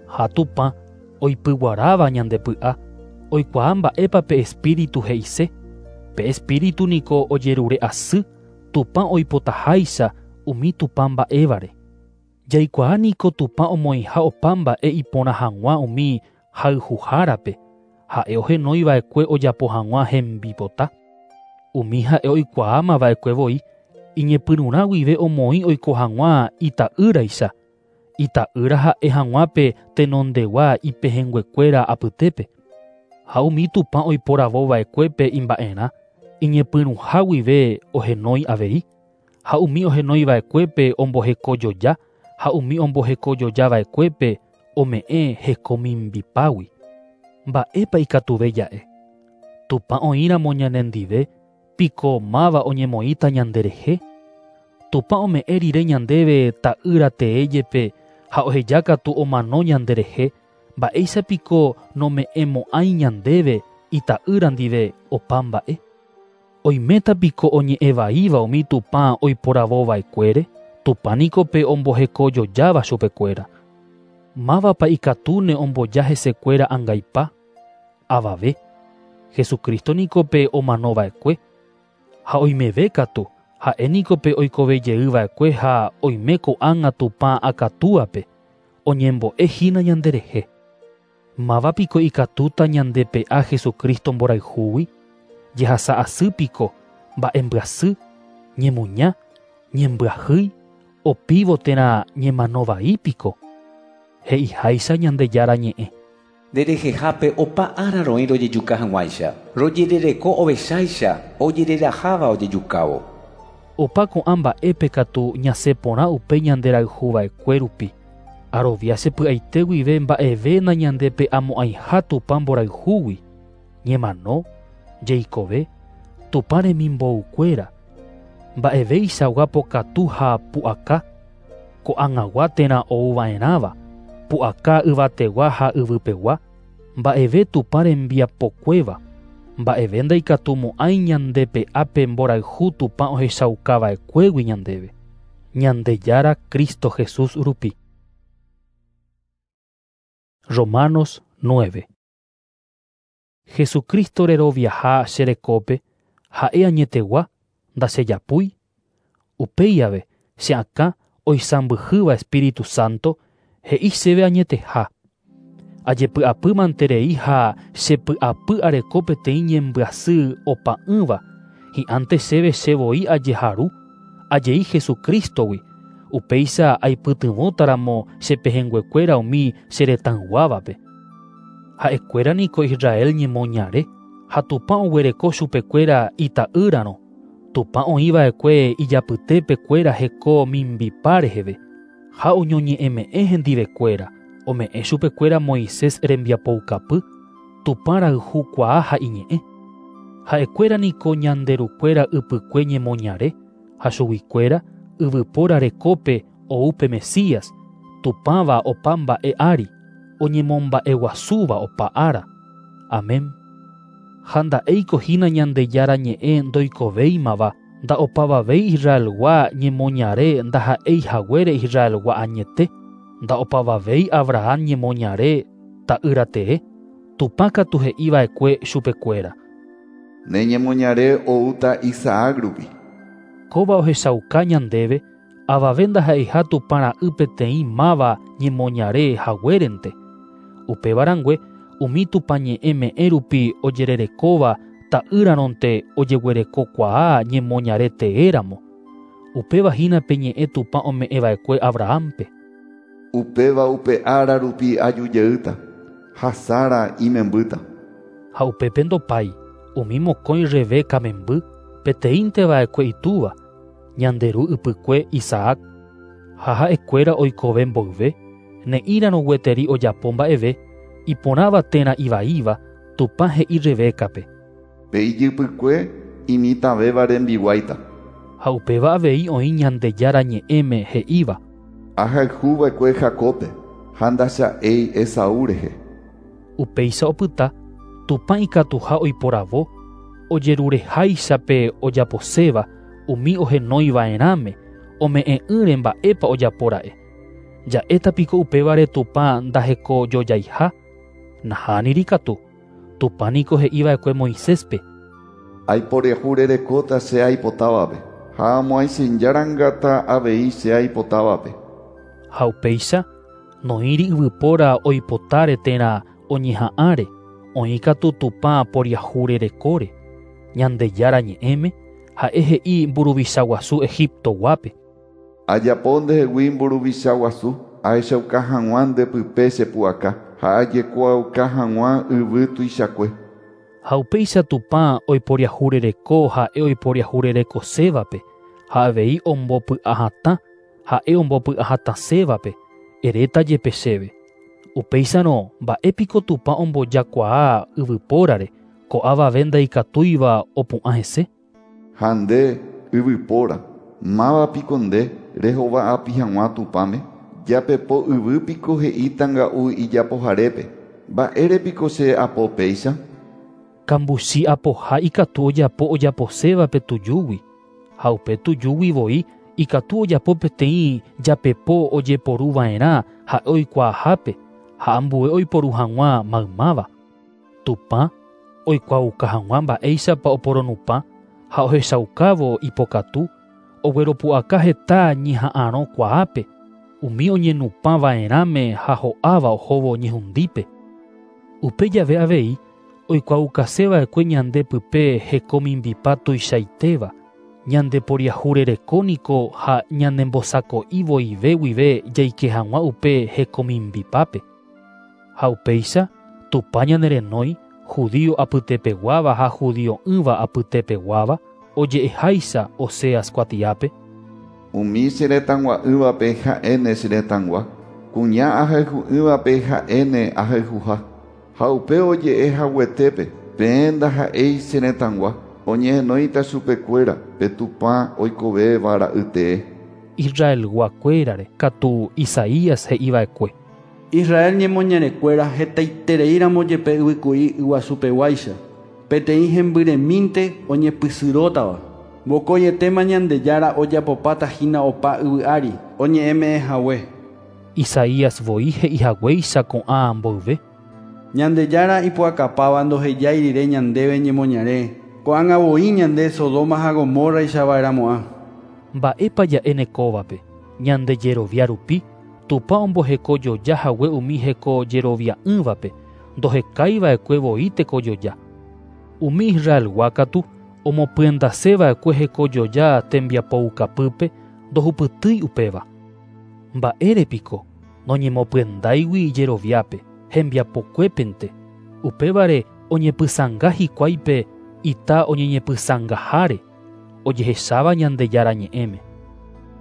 Ha Tupã oipyguaráva ñande py'a, oikuaa mba'épa pe espíritu he'ise. Pe espíritu niko ojerure asy Tupã oipotaháicha umi Tupã mba'évare. Jaikuaa niko Tupã omoĩha opa mba'e iporã hag̃ua umi hayhuhárape, ha'e ohenoiva'ekue ojapo hag̃ua hembipota. Umi ha'e oikuaamava'ekue voi, iñepyrũrã guive omoĩ oiko hag̃ua ita'ýraicha, ita'ýra ha'e hag̃ua pe tenondegua ipehẽnguekuéra apytépe. Ha umi Tupã oiporavova'ekuépe imba'erã, iñepyrũha guive ohenói avei, ha umi ohenoiva'ekuépe ombohekojoja, ha umiombohekojojava'ekuépe ome'ẽ hekomimbipágui. Mba'épa ikatuve ja'e. Tupã oĩramo ñanendive, piko máva oñemoĩta ñanderehe? Tupã ome'ẽ rire ñandéve ta'ýra tee jepe ha ohejákatu omano ñanderehe, mba'éicha piko nome'ẽmo'ãi ñandéve ita'ýra ndive opa mba'e? Oiméta piko oñe'ẽvaíva umi Tupã oiporavova'ekuére? Tupã niko pe ombohekojojáva chupekuéra. Mávapa ikatúne omboja hesekuéra angaipa? Avave. Jesucristo niko pe omanova'ekue. Ha oimeve katu, ha'e niko pe oikovejeyva'ekue ha oime ko'ág̃a Tupã akatúape, oñembo'ehína ñanderehe. Máva piko ikatúta ñandepe'a Jesucristo mborayhúgui? Jehasa asy piko, mba'embyasy, ñemuña, ñembyahýi, opívo térã ñemanovai piko? He'iháicha Ñandejára ñe'ẽ. Nderehehápe opa ára roĩ rojejuka hag̃uáicha, rojerereko ovecháicha ojereraháva ojejukávo. Opa ko'ã mba'épe katu ñasẽ porã upe ñanderayhuva'ekue rupi. Arovia chepy'aite guive mba'eve nañandepe'amo'ãiha Tupã mborayhúgui, ñemano, jeikove, Tupã remimboukuéra, mba'eveichagua pokatu ha pu'aka, ko'ag̃agua térã ouva'erãva, pu'aka yvategua ha yvypegua, mba'eve Tupã rembiapokuéva, mba'eve ndaikatumo'ãi ñandepe'ápe mborayhu Tupã ohechaukava'ekuégui ñandéve. Ñandejára Cristo Jesús rupi. Romanos 9. Jesucristo reroviaha cherekópe, ha'e añetegua, ndachejapúi. Upéi ave, che akã oisãmbyhýva Espíritu Santo, he'i chéve añeteha. Ajepy'apy manterei ha chepy'apy areko peteĩ ñembyasy opa'ỹva, hi'ãnte chéve che voi ajeharu, ajei Jesucristogui, upéicha aipytyvõtaramo che pehẽnguekuéra umi che retãyguávape. Ha'ekuéra niko Israel ñemoñare ha Tupã oguereko chupekuéra ita'ýrarõ. Tupã oĩva'ekue ijapytépekuéra heko mimbipa reheve ha oñoñe'ẽme'ẽ hendivekuéra, ome'ẽ chupekuéra Moisés rembiapoukapy, Tupã rayhukuaa ha iñe'ẽ. Ha'ekuéra niko ñanderukuéra ypykue ñemoñare ha chuguikuéra yvypóra rekópe ou pe Mesías, Tupãva opa mba'e ári, oñemomba'eguasúva opa ára. Amén. Ha nda'éiko hína Ñandejára ñe'ẽ ndoikovéimava, nda'opavavéi Israelgua ñemoñare ndaha'éi haguére Israelgua añete, nda'opavavéi Abraham ñemoñare ta'ýra tee, Tupã katu he'iva'ekue chupekuéra. Ne ñemoñare oúta Isaac rupi. Kóva ohechauka ñandéve avave ndaha'eiha Tupã ra'y peteĩ máva ñemoñare haguérente. Upéva rangue umi Tupã ñe'ẽ me'ẽ rupi ojererekóva ta'ýrarõnte ojeguerekokuaa ñemoñare teéramo. Upéva hína pe ñe'ẽ Tupã ome'ẽva'ekue Abrahampe. Upéva upe ára rupi ajujeýta, ha Sara imembýta. Ha upépe ndopái, umi mokõi Rebeca memby, peteĩnteva'ekue itúva, ñanderu ypykue Isaac. Ha ha'ekuéra oikove mboyve, ne'ĩrarõ gueteri ojapo mba'eve, iporãva térã ivaíva, Tupã he'i Rebecape. Pe ijypykue imitãvéva rembiguáita. Ha upéva avei oĩ Ñandejára ñe'ẽme he'íva. Ahayhuva'ekue Jacóbpe ha ndacha'éi Esaú rehe. Upéicha opyta, Tupã ikatuha oiporavo, ojerureháicha pe ojaposéva umi ohenoiva'erãme, ome'ẽ'ỹre mba'épa ojapóra'e. Ja'éta piko upévare Tupã ndahekojojaiha? Nahániri katu. Tupã niko he'iva'ekue Moiséspe. Aiporehúrerekóta che aipotávape, ha amoaichĩjárangata avei che aipotávape. Ha upéicha, noĩri yvypóra oipotáre térã oñeha'ãre, oĩ katu Tupã poriahurerekóre. Ñandejára ñe'ẽme, ha'e he'i mburuvicha guasu Egiptoguápe. Ajapo ndehegui mburuvicha guasu, ahechauka hag̃ua ndepype che pu'aka, ha ajekuaauka hag̃ua yvy tuichakue. Ha upéicha Tupã oiporiahurereko ha'e oiporiahurerekosévape, ha avei ombopy'ahatã ha'e ombopy'ahatãsévape, eréta jepe chéve. Upéicharõ mba'épiko Tupã ombojakuaa yvypórare, Ko'ãvave ndaikatúiva opu'ã hese. Ha nde, yvypóra, mávapiko nde rehova'api hag̃ua Tupãme? Japepo yvýpiko he'ítanga'u ijapoharépe. Mba'érepiko che apo péicha? Kambuchi apoha ikatu ojapo ojaposéva pe tujúgui. Ha upe tujúgui voi ikatu ojapo peteĩ japepo ojeporuva'erã ha'e oikuaahápe ha ambue oiporu hag̃ua maymáva. Tupã oikuaauka hag̃ua mba'éichapa oporonupã ha ohechaukávo ipokatu ogueropu'aka heta ñeha'ãrõkuaápe umi oñenupãva'erãme ha ho'áva ohóvo ñehundípe. Upe jave avei oikuaukaseva'ekue ñande pype hekomimbipa tuichaitéva, ñande poriahurerekóniko ha ñanembosako'i voive guive jaike hag̃ua upe hekomimbipápe. Ha upéicha Tupã ñanerenói judío apytepeguáva ha judio'ỹva apytepeguáva oje'eháicha Oseas kuatiápe. Umi che retãgua'ỹvape ha'éne che retãgua, kuña ahayhu'ỹvape ha'éne ahayhuha. Ha upe oje'e haguetépe peẽ ndaha'éi che retãgua, oñehenóita chupekuéra pe Tupã oikovéva ra'ytee. Israelguakuérare katu Isaías he'iva'ekue. Israel ñemoñarekuéra hetaitereíramo jepe yvyku'i yguasupeguáicha, peteĩ hembyremínte oñepysyrõtava. Vokóietéma Ñandejára ojapopáta hína opa yvy ári oñe'ẽme'ẽhague. Isaías voi he'ihaguéicha ko'ã mboyve. Ñandejára ipu'akapáva ndohejái rire ñandéve ñemoñare, ko'ág̃a voi ñande Sodoma ha Gomorraichava'erãmo'ã. Mba'épa ja'éne kóvape, ñande jerovia rupi, Tupã ombohekojoja hague umi hekojerovia'ỹvape, ndohekaiva'ekue voi tekojoja. Umi Israelgua katu omopyendaseva'ekue hekojoja tembiapoukapýpe ndohupytýi upéva. Mba'érepiko noñemopyendáigui ijeroviápe, hembiapokuépente. Upévare oñepysãnga hikuáipe ita oñeñepysãngaháre, ojehecháva Ñandejára ñe'ẽme.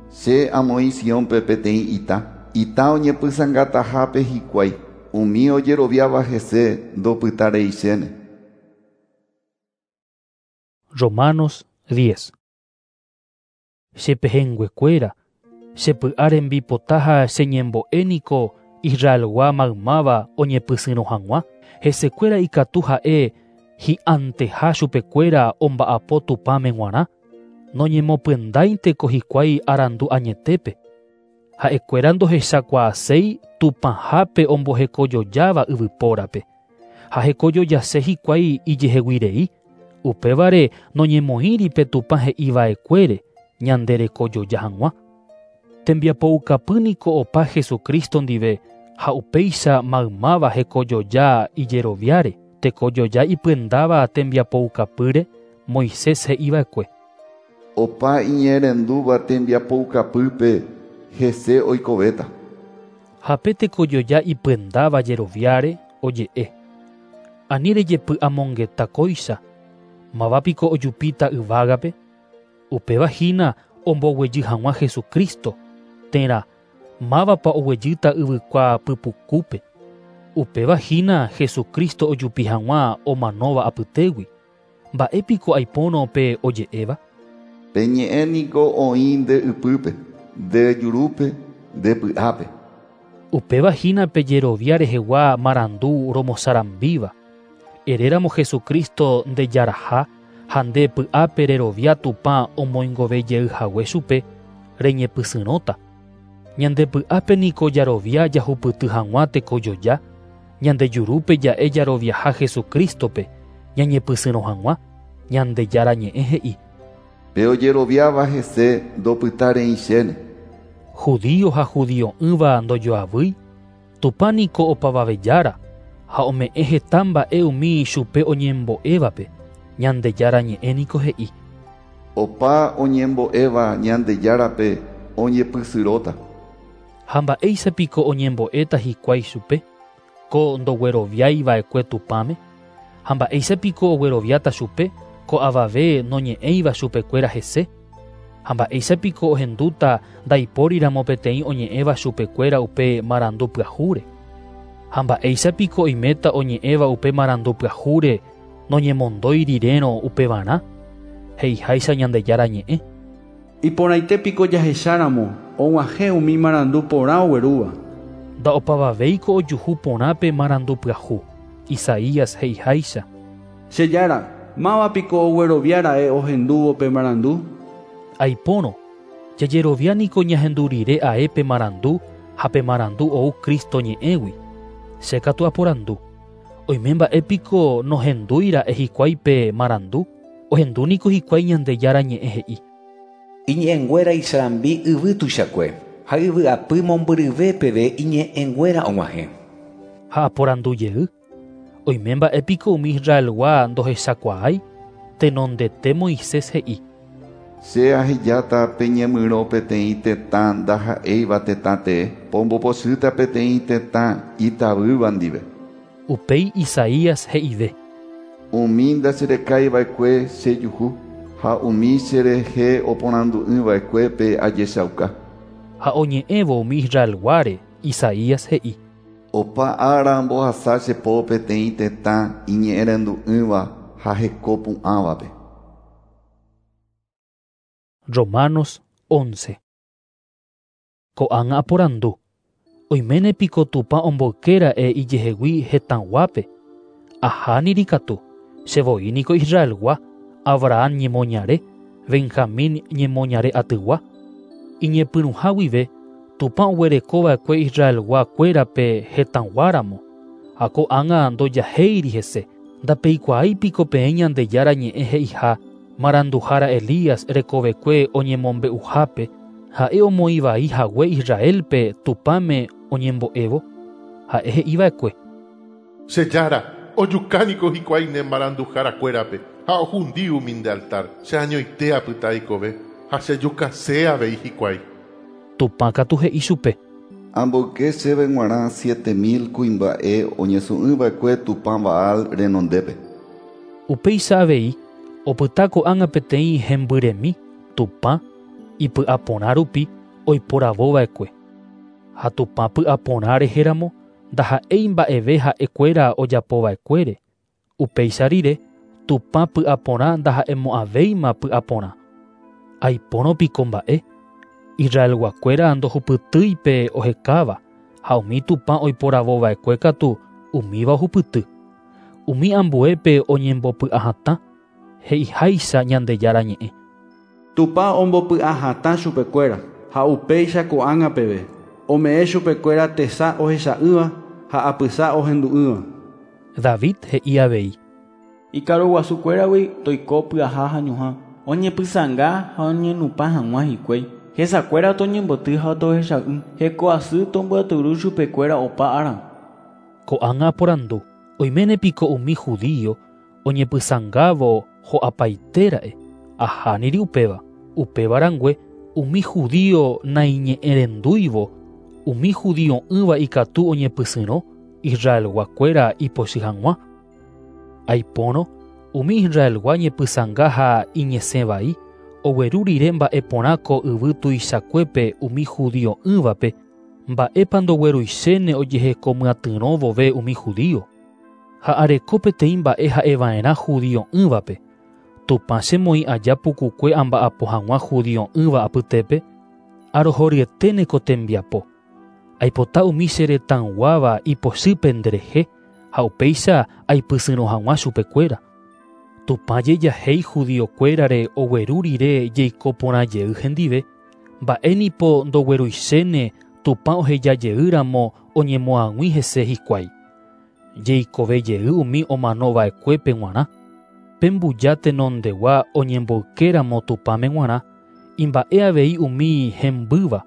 Che amoĩ Siónpe peteĩ ita, ita oñepysãngatahápe hikuái, umi ojeroviáva hese ndopytareichéne. Romanos 10. Chepehẽnguekuéra, chepy'a rembipota ha cheñembo'éniko Israelgua maymáva oñepysyrõ hag̃ua, hesekuéra ikatu ha'e hi'anteha chupekuéra omba'apo Tupãme g̃uarã, noñemopyendáinteko hikuái arandu añetépe. Ha'ekuéra ndohechakuaaséi Tupãhápe ombohekojojáva yvypórape. Ha hekojojase hikuái ijeheguirei, upévare noñemoĩri pe Tupã he'iva'ekuére ñande rekojoja hag̃ua. Tembiapoukapýniko opa Jesucristo ndive ha upéicha maymáva hekojoja ijeroviáre, tekojoja ipyendáva tembiapoukapýre Moisés he'iva'ekue. Opa iñe'ẽrendúva tembiapoukapýpe hese oikovéta. Ha pe tekojoja ipyendáva jeroviáre oje'e. Ani rejepy'amongeta kóicha, mávapiko ojupíta yvágape, upéva hína omboguejy hag̃ua Jesucristo, térã mávapa oguejýta yvykua pypukúpe. Upéva hína Jesucristo ojupi hag̃ua omanóva apytégui. Mba'épiko aipórõ pe oje'éva? Pe ñe'ẽ niko oĩ nde ypýpe, nde jurúpe, nde py'ápe. Upéva hína pe jerovia rehegua marandu romosarambíva. Eréramo Jesucristo ndejaraha ha nde py'ápe rerovia Tupã omoingovejeyhague chupe, reñepysyrõta. Ñande py'ápe niko jarovia jahupyty hag̃ua tekojoja, ñande jurúpe ja'e jaroviaha Jesucristope, ñañepysyrõ hag̃ua, Ñandejára ñe'ẽ he'i. Pe ojeroviáva hese ndopytareichéne. Judío ha judio'ỹva ndojoavýi, Tupã niko opavavejára ha ome'ẽ heta mba'e umi chupe oñembo'évape, Ñandejára ñe'ẽ niko he'i. Opa oñembo'éva Ñandejárape oñepysyrõta. Ha mba'éichapiko oñembo'éta hikuái chupe, ko ndogueroviaiva'ekue Tupãme, ha mba'éichapiko ogueroviáta chupe, ko avave noñe'ẽiva chupekuéra hese, ha mba'éichapiko ohendúta ndaipóriramo peteĩ oñe'ẽva chupekuéra upe marandu pyahúre. Ha mba'éichapiko oiméta oñe'ẽva upe marandu pyahúre Noñemondói rirérõ upevarã, he'iháicha Ñandejára ñe'ẽ. Iporãite piko jahecháramo og̃uahẽ umi marandu porã oguerúva. Nda'opavavéiko ojuhu porã pe marandu pyahu, Isaías he'iháicha. Che Jára, máva piko ogueroviára'e ohendúvo pe marandu? Aipórõ, jajerovia niko ñahendu rire ae pe marandu ha pe marandu ou Cristo ñe'ẽgui. Che katu aporandu. Oime mba'e piko nohendúira'e hikuái pe marandu? Ohendu niko hikuái Ñandejára ñe'ẽ he'i. Iñe'ẽnguéra isarambi yvy tuichakue ha yvy'apy mombyryve peve iñe'ẽnguéra og̃uahẽ. Ha aporandu jey. Oime mba'e piko umi Israelgua ndohechakuaái? Tenondete Moisés he'i. Che ahejáta peñemyrõ peteĩ tetã ndaha'éiva tetã tee, pombopochýta peteĩ tetã itavýva ndive. Upéi Isaías he'ive. Umi ndacherekaiva'ekue chejuhu ha umi cherehe oporandu'ỹva'ekuépe ajechauka. Ha oñe'ẽvo umi Israelguáre, Isaías he'i. Opa ára ambohasa che po peteĩ tetã iñe'ẽrendu'ỹva ha heko pu'ãvape. Romanos 11. Ko'ág̃a aporandu. Oiméne piko Tupã omboykéra'e ijehegui hetãguápe. Ahániri katu, che voi niko Israelgua, Abraham ñemoñare, Benjamín ñemoñare atygua. Iñepyrũha guive, Tupã oguerekova'ekue Israelgua kuérape hetãguáramo. Ha ko'ág̃a ndojahéiri hese. Ndapeikuaái piko peẽ Ñandejára ñe'ẽ he'iha maranduhára Elías rekovekue oñemombe'uhápe, ha'e omoĩvai hague Israelpe Tupãme oñembo'évo, ha'e he'iva'ekue. Che Jára, ojukániko hikuái ne maranduharakuérape ha ohundi umi nde altar, che añoite apyta aikove ha chejukase avei hikuái. Tupã katu he'i chupe. Amboyke chéve g̃uarã 7000 kuimba'e oñesũ'ỹva'ekue Tupã Baal renondépe. Upéicha avei opyta ko'ág̃a peteĩ hembyremi Tupã ipy'aporã rupi oiporavova'ekue. Ha Tupã py'aporã rehéramo ndaha'éi mba'eve ha'ekuéra ojapova'ekuére. Upéicha rire Tupã py'aporã ndaha'emo'ãvéima py'aporã. Aipórõ piko mba'e Israelguakuéra ndohupytýi pe ohekáva ha umi Tupã oiporavova'ekue katu umíva ohupyty. Umi ambuépe oñembopy'ahatã he'iháicha Ñandejára ñe'ẽ. Tupã ombopy'ahatã chupekuéra ha upéicha ko'ág̃a peve. Ome'ẽ chupekuéra tesa ohecha'ỹva ha apysa ohendu'ỹva. David he'i avei. Ikaruguasukuéragui toiko pyaha ha ñuhã, oñepysãnga ha oñenupã hag̃ua hikuái. Hesakuéra toñemboty ha tohecha'ỹ, heko asy tombyaturu chupekuéra opa ára. Ko'ág̃a aporandu. Oiméne piko umi judío oñepysãngávo ho'apaitéra'e. Ahániri upéva. Upéva rangue umi judío naiñe'ẽrendúivo, umi judio'ỹva ikatu oñepysyrõ Israelguakuéra ipochy hag̃ua. Aipórõ umi Israelgua ñepysãnga ha iñesẽvai ogueru rire mba'e porã ko yvy tuichakuépe umi judio'ỹvape, mba'épa ndogueruichéne ojehekomyatyrõ vove umi judío. Ha areko peteĩ mba'e ha'eva'erã judio'ỹvape. Tupã chemoĩ aja pukukue amba'apo hag̃ua judio'ỹva apytépe, arohoryeténe ko tembiapo. Aipota umi che retãguáva ipochýpe nderehe ha upéicha aipysyrõ hag̃ua chupekuéra. Tupã jejahéi judiokuérare ogueru rire jeiko porã jey hendive, mba'énipo ndogueruichéne Tupã ohejajeýramo oñemoag̃ui hese hikuái. Jeikove jey umi omanova'ekuépe g̃uarã. Pe mbuja tenondegua oñemboykéramo Tupãme g̃uarã, imba'e avei umi hembýva,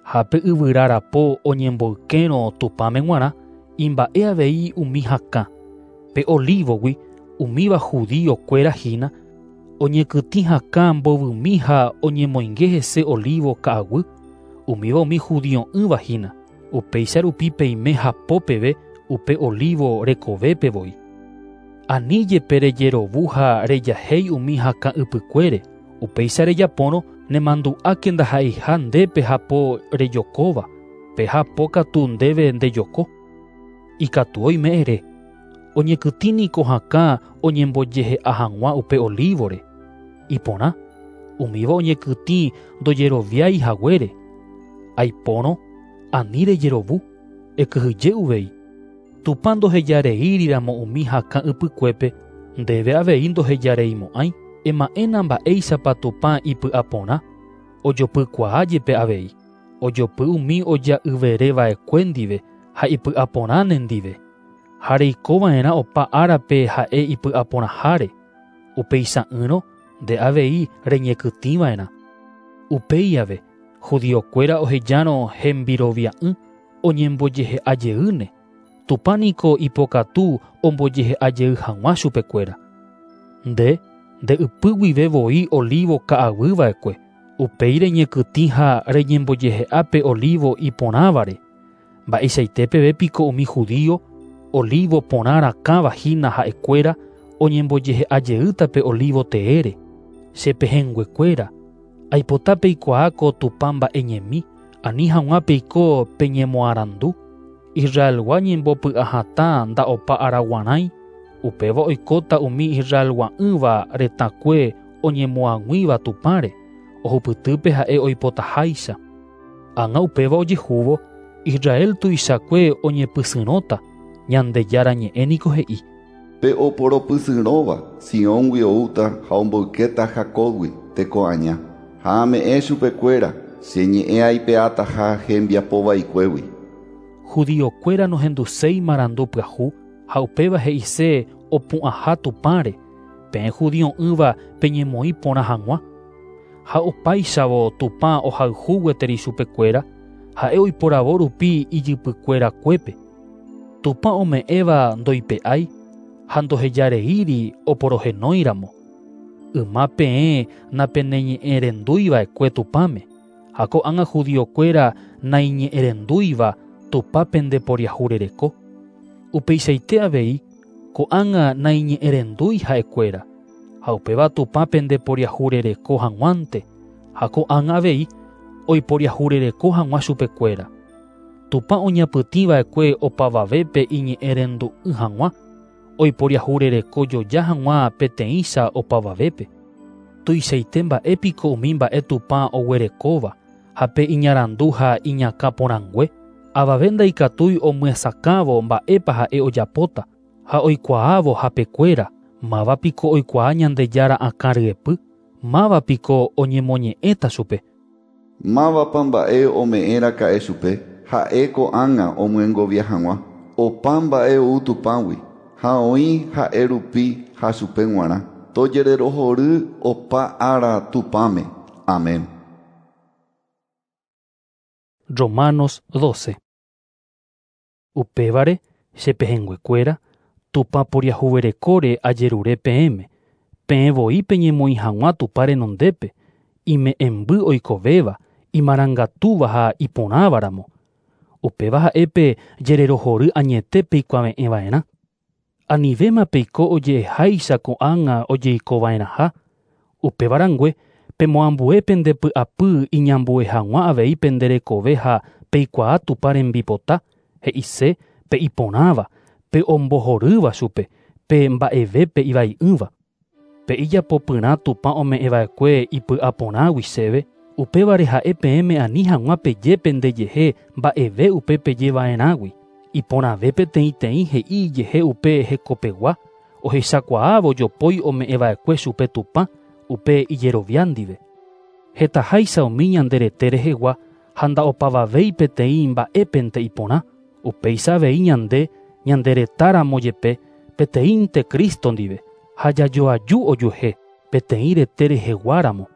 ha pe yvyra rapo oñemboykérõ Tupãme g̃uarã, imba'e avei umi hakã. Pe olívogui umíva judiokuéra hína, oñekytĩ hakã mbovymi ha oñemoinge hese olivo ka'aguy, umíva umi judio'ỹva hína. Upéicha rupi peime hapo peve upe olivo rekovépe voi. Ani jepe rejerovu ha rejahéi umi hakã ypykuére. Upéicha rejapórõ nemandu'áke ndaha'eiha ndépe hapo rejokóva, pe hapo katu ndéve ndejoko. Ikatu oime ere. Oñekytĩ niko hakã oñembojehe'a hag̃ua upe olívore. Iporã, umíva oñekytĩ ndojeroviái haguére. Aipórõ, ani rejerovu, ekyhyje uvei. Tupã ndohejareíriramo umi hakã ypykuépe, ndéve avei ndohejareimo'ãi. Ema'ẽna mba'éichapa Tupã ipy'aporã, ojopykuaa jepe avei. Ojopy umi oja'yvereva'ekue ndive ha ipy'aporã nendive. Ha reikova'erã opa árape ha'e ipy'aporãháre. Upeicha'ỹrõ nde avei reñekytĩva'erã. Upéi ave, judiokuéra ohejárõ hembirovia'ỹ oñembojehe'a jeýne. Tupã niko ipokatu ombojehe'a jey hag̃ua chupekuéra. Nde, nde ypy guive voi olivo ka'aguyva'ekue. Upéi reñekytĩ ha reñembojehe'a pe olivo iporãvare. Mba'eichaite peve piko umi judío, olivo porã rakãva hína ha'ekuéra oñembojehe'a jeýta pe olivo teére. Che pehẽnguekuéra, aipota peikuaa ko Tupã mba'eñemi, ani hag̃ua peiko peñemoarandu. Israelgua ñembopy'ahatã nda'opa araguarãi, upéva oikóta umi Israelgua'ỹva retãkue oñemoag̃uíva Tupãre, ohupytýpe ha'e oipotaháicha. Ág̃a upéva ojehúvo, Israel tuichakue oñepysyrõta, Ñandejára ñe'ẽ niko he'i. Pe oporopysyrõva Sióngui oúta ha omboykéta Jacobgui teko aña. Ha ame'ẽ chupekuéra che ñe'ẽ aipe'ataha hembiapovaikuégui. Judiokuéra nohenduséi marandu pyahu ha upéva he'ise opu'ãha Tupãre, peẽ judio'ỹva peñemoĩ porã hag̃ua. Ha opáichavo Tupã ohayhu gueteri chupekuéra, ha'e oiporavo rupi ijypykuerakuépe. Tupã ome'ẽva ndoipe'ái ha ndohejareíri oporohenóiramo. Yma peẽ napeneñe'ẽrendúiva'ekue Tupãme, ha ko'ág̃a judiokuéra naiñe'ẽrendúiva Tupã pendeporiahurereko. Upeichaite avei, ko'ág̃a naiñe'ẽrendúi ha'ekuéra, ha upéva Tupã pendeporiahurereko hag̃uánte, ha ko'ág̃a avei oiporiahurereko hag̃ua chupekuéra. Tupã oñapytĩva'ekue opavavépe iñe'ẽrendu'ỹ hag̃ua, oiporiahurereko joja hag̃ua peteĩcha opavavépe. Tuichaite mba'épiko umi mba'e Tupã oguerekóva, ha pe iñarandu ha iñakã porãngue, avave ndaikatúi omyesakãvo mba'épa ha'e ojapóta, ha oikuaávo hapekuéra, mávapiko oikuaa Ñandejára akã ryepy, mávapiko oñemoñe'ẽta chupe. Mávapa mba'e ome'ẽraka'e chupe, ha'e ko'ág̃a omyengovia hag̃ua. Opa mba'e ou Tupãgui, ha oĩ ha'e rupi ha chupe g̃uarã. Tojererohory opa ára Tupãme. Amén. Romanos 12. Upévare, che pehẽnguekuéra, Tupã poriahuverekóre ajerure peẽme, peẽ voi peñemoĩ hag̃ua Tupã renondépe, ime'ẽmby oikovéva, imarangatúva ha iporãvaramo. Upéva ha'e pe jererohory añete peikuave'ẽva'erã. Anivéma peiko oje'eháicha ko'ág̃a ojeikova'erãha. Upéva rangue, pemoambue pende py'apy iñambue hag̃ua avei pende rekove ha peikuaa Tupã rembipota, he'ise pe iporãva, pe ombohorýva chupe, pe mba'evépe ivai'ỹva. Pe ijapopyrã Tupã ome'ẽva'ekue ipy'aporãgui chéve, upévare ha'e peẽme ani hag̃ua peje pendejehe mba'eve upe pejeva'erãgui. Iporãve peteĩteĩ he'i ijehe upe hekopegua, ohechakuaávo jopói ome'ẽva'ekue chupe Tupã, upe ijerovia ndive. Hetaháicha umi ñande rete rehegua ha nda'opavavéi peteĩ mba'épente iporã, upéicha avei ñande ñande retáramo jepe peteĩnte Cristo ndive, ha jajoaju ojuehe peteĩ rete reheguáramo.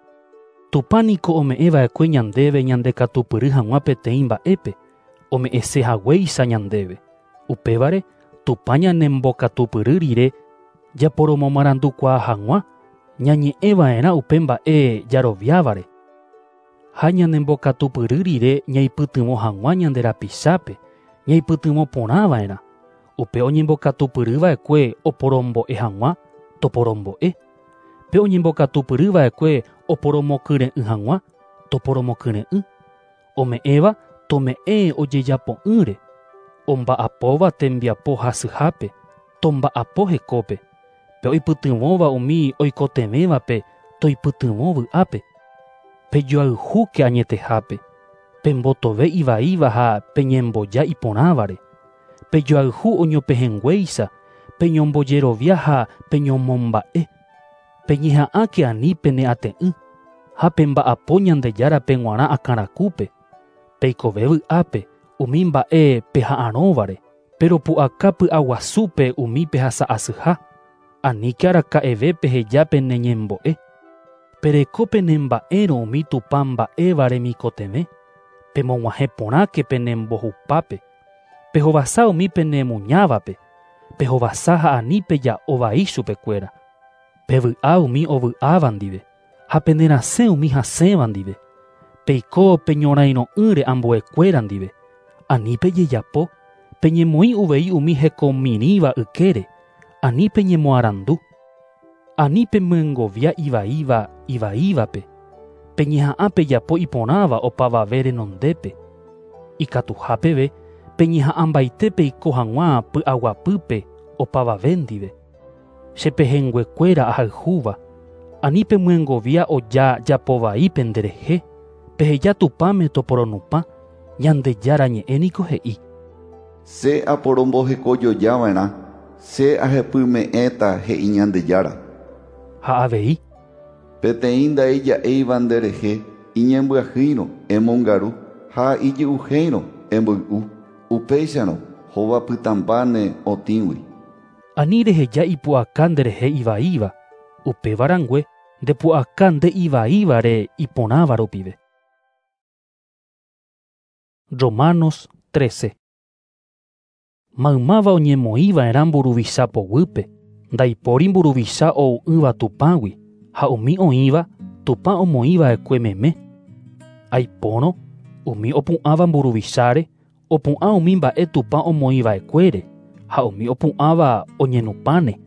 Tupã niko ome'ẽva'ekue ñandéve ñandekatupyry hag̃ua peteĩ mba'épe, ome'ẽse haguéicha ñandéve. Upévare, Tupã ñanembokatupyry rire japoromomarandukuaa hag̃ua, ñañe'ẽva'erã upe mba'e jaroviávare. Ha ñanembokatupyry rire ñaipytyvõ hag̃ua ñande rapichápe, ñaipytyvõ porãva'erã. Upe oñembokatupyryva'ekue oporombo'e hag̃ua, toporombo'e. Pe oñembokatupyryva'ekue oporomokyre'ỹ hag̃ua, toporomokyre'ỹ. Ome'ẽva tome'ẽ ojejapo'ỹre. Omba'apóva tembiapo hasyhápe, tomba'apo hekópe. Pe oipytyvõva umi oikotevẽvape toipytyvõ vy'ápe. Pejoayhúke añetehápe. Pembotove ivaíva ha peñemboja iporãvare. Pejoayhu oñopehẽnguéicha, peñombojerovia ha peñomomba'e. Peñeha'ãke ani peneate'ỹ ha pemba'apo Ñandejárape g̃uarã akãrakúpe. Peikove vy'ápe umi mba'e peha'arõvare, peropu'aka py'aguasúpe umi pehasa'asyha. Aníke araka'eve peheja peneñembo'e. Pereko penemba'érõ umi Tupã mba'éva remikotevẽ. Pemog̃uahẽ porãke penembohupápe. Pehovasa umi penemuñávape. Pehovasa ha ani peja'o vai chupekuéra. Pevy'a umi ovy'áva ndive ha penerasẽ umi hasẽva ndive. Peiko peñorairõ'ỹre ambuekuéra ndive. Ani pejejapo, peñemoĩ uvei umi hekomirĩva ykére. Ani peñemoarandu. Ani pemyengovia ivaíva ivaívape. Peñeha'ã pejapo iporãva opavave renondépe. Ikatuha peve peñeha'ãmbaite peiko hag̃ua py'aguapýpe opavave ndive. Chepehẽnguekuéra ahayhúva. Ani pemyengovia oja japovai penderehe. Peheja Tupãme toporonupã. Ñandejára ñe'ẽ niko he'i. Che aporombohekojojava'erã, che ahepyme'ẽta he'i Ñandejára. Ha avei. Peteĩ ndaija'éiva nderehe iñembyahýirõ emongaru ha ijy'uhéirõ emboy'u. Upéicharõ hovapytãmbáne otĩgui. Ani reheja ipu'aka nderehe ivaíva. Upéva rangue ndepu'aka nde ivaívare iporãva rupive. Romanos 13. Maymáva oñemoĩva'erã mburuvicha poguýpe, ndaipóri mburuvicha ou'ỹva Tupãgui, ha umi oĩva Tupã omoĩva'ekue meme. Aipórõ umi opu'ãva mburuvicháre, opu'ã umi mba'e Tupã omoĩva'ekuére, ha umi opu'ãva oñenupãne.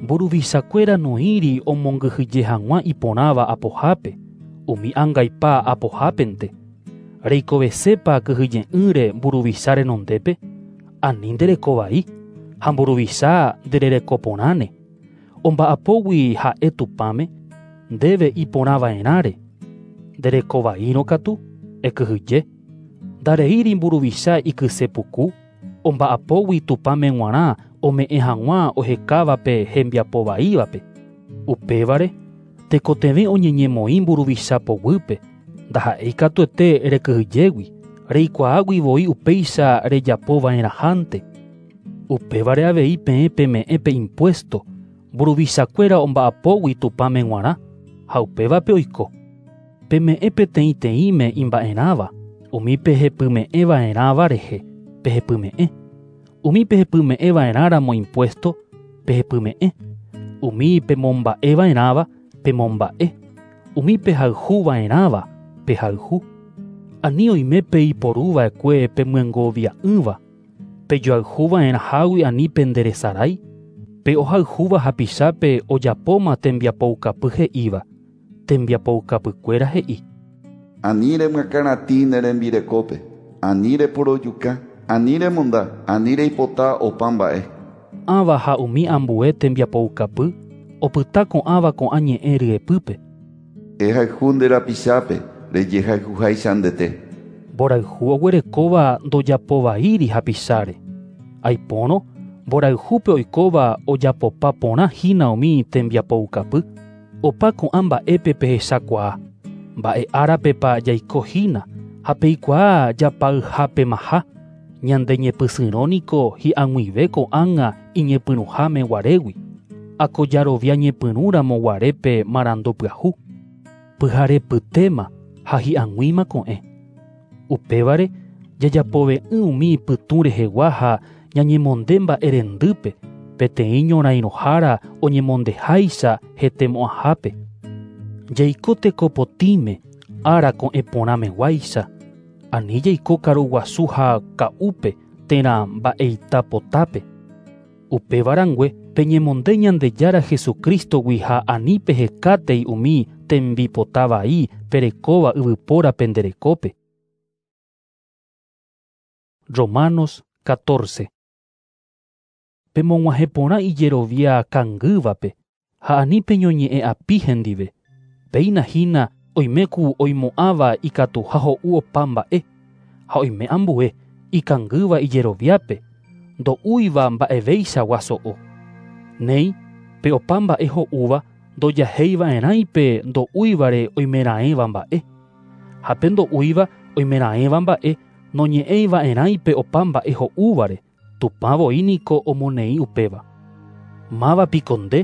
Mburuvichakuéra noĩri omongyhyje hag̃ua iporãva apohápe, umi angaipa apohápente. Reikovesépa kyhyje'ỹre mburuvicha renondépe, ani nderekovai, ha mburuvicha ndererekoporãne. Omba'apógui ha'e Tupãme, ndéve iporãva'erãre. Nderekovaírõ katu, ekyhyje. Ndareíri mburuvicha ikysepuku, omba'apógui Tupãme g̃uarã ome'ẽ hag̃ua ohekávape hembiapovaívape. Upévare, tekotevẽ oñeñemoĩ mburuvicha poguýpe, ndaha'éi katuete rekyhyjégui, reikuaágui voi upéicha rejapova'erãhánte. Upévare avei peẽ peme'ẽ pe impuesto, mburuvichakuéra omba'apógui Tupãme g̃uarã, ha upévape oiko. Peme'ẽ peteĩteĩme imba'erãva, umi pehepyme'ẽva'erãva rehe, pehepyme'ẽ. Umi pehepyme'ẽva'erãramo impuesto, pehepyme'ẽ. Umi pemomba'eva'erãva, pemomba'e. Umi pehayhuva'erãva, pehayhu. Ani oime peiporuva'ekue pemyengovia'ỹva. Pejoayhuva'erãhágui ani penderesarái. Pe ohayhúva hapichápe ojapóma tembiapoukapy he'íva. Tembiapoukapykuéra he'i. Ani remyakãratĩ ne rembirekópe, ani reporojuka, ani remonda, ani reipota opa mba'e. Ãva ha umi ambue tembiapoukapy opyta ko'ãva ko'ã ñe'ẽ ryepýpe. Ehayhu nde rapichápe rejehayhuháicha ndete. Mborayhu oguerekóva ndojapovaíri hapicháre. Aipórõ mborayhúpe oikóva ojapopa porã hína umi tembiapoukapy. Opa ko'ã mba'épe pehechakuaa. Mba'e árapepa jaiko hína ha peikuaa japayhápemaha. Ñande ñepysyrõ niko hi'ag̃uive ko'ág̃a iñepyrũháme guarégui. Akojarovia ñepyrũramo guarépe marandu pyahu. Pyharepytéma ha hi'ag̃uíma ko'ẽ. Upévare jajapove'ỹ umi pytũ rehegua ha ñañemonde mba'erendýpe peteĩ ñorairõhára oñemondeháicha hetemo'ãhápe. Jaiko tekopotĩme ára ko'ẽ porãmeguáicha. Ani jaiko karuguasu ha ka'úpe térã mba'eitapotápe. Upéva rangue peñemonde Ñandejára Jesucristogui ha ani pehekátei umi tembipota vai perekóva yvypóra penderekópe. Romanos 14. Pemog̃uahẽ porã ijerovia kangývape ha ani peñoñe'ẽ api hendive. Péina hína oime ku oimo'ãva ikatuha ho'u opa mba'e ha oime ambue ikangýva ijeroviápe ndo'úiva mba'eveichagua so'o. Néi pe opa mba'e ho'úva ndojaheiva'erãi pe ndo'úivare oimeraẽva mba'e. Ha pe ndo'úiva oimeraẽva mba'e noñe'ẽiva'erãi pe opa mba'e ho'úvare. Tupã voi niko omoneĩ upéva. Máva piko nde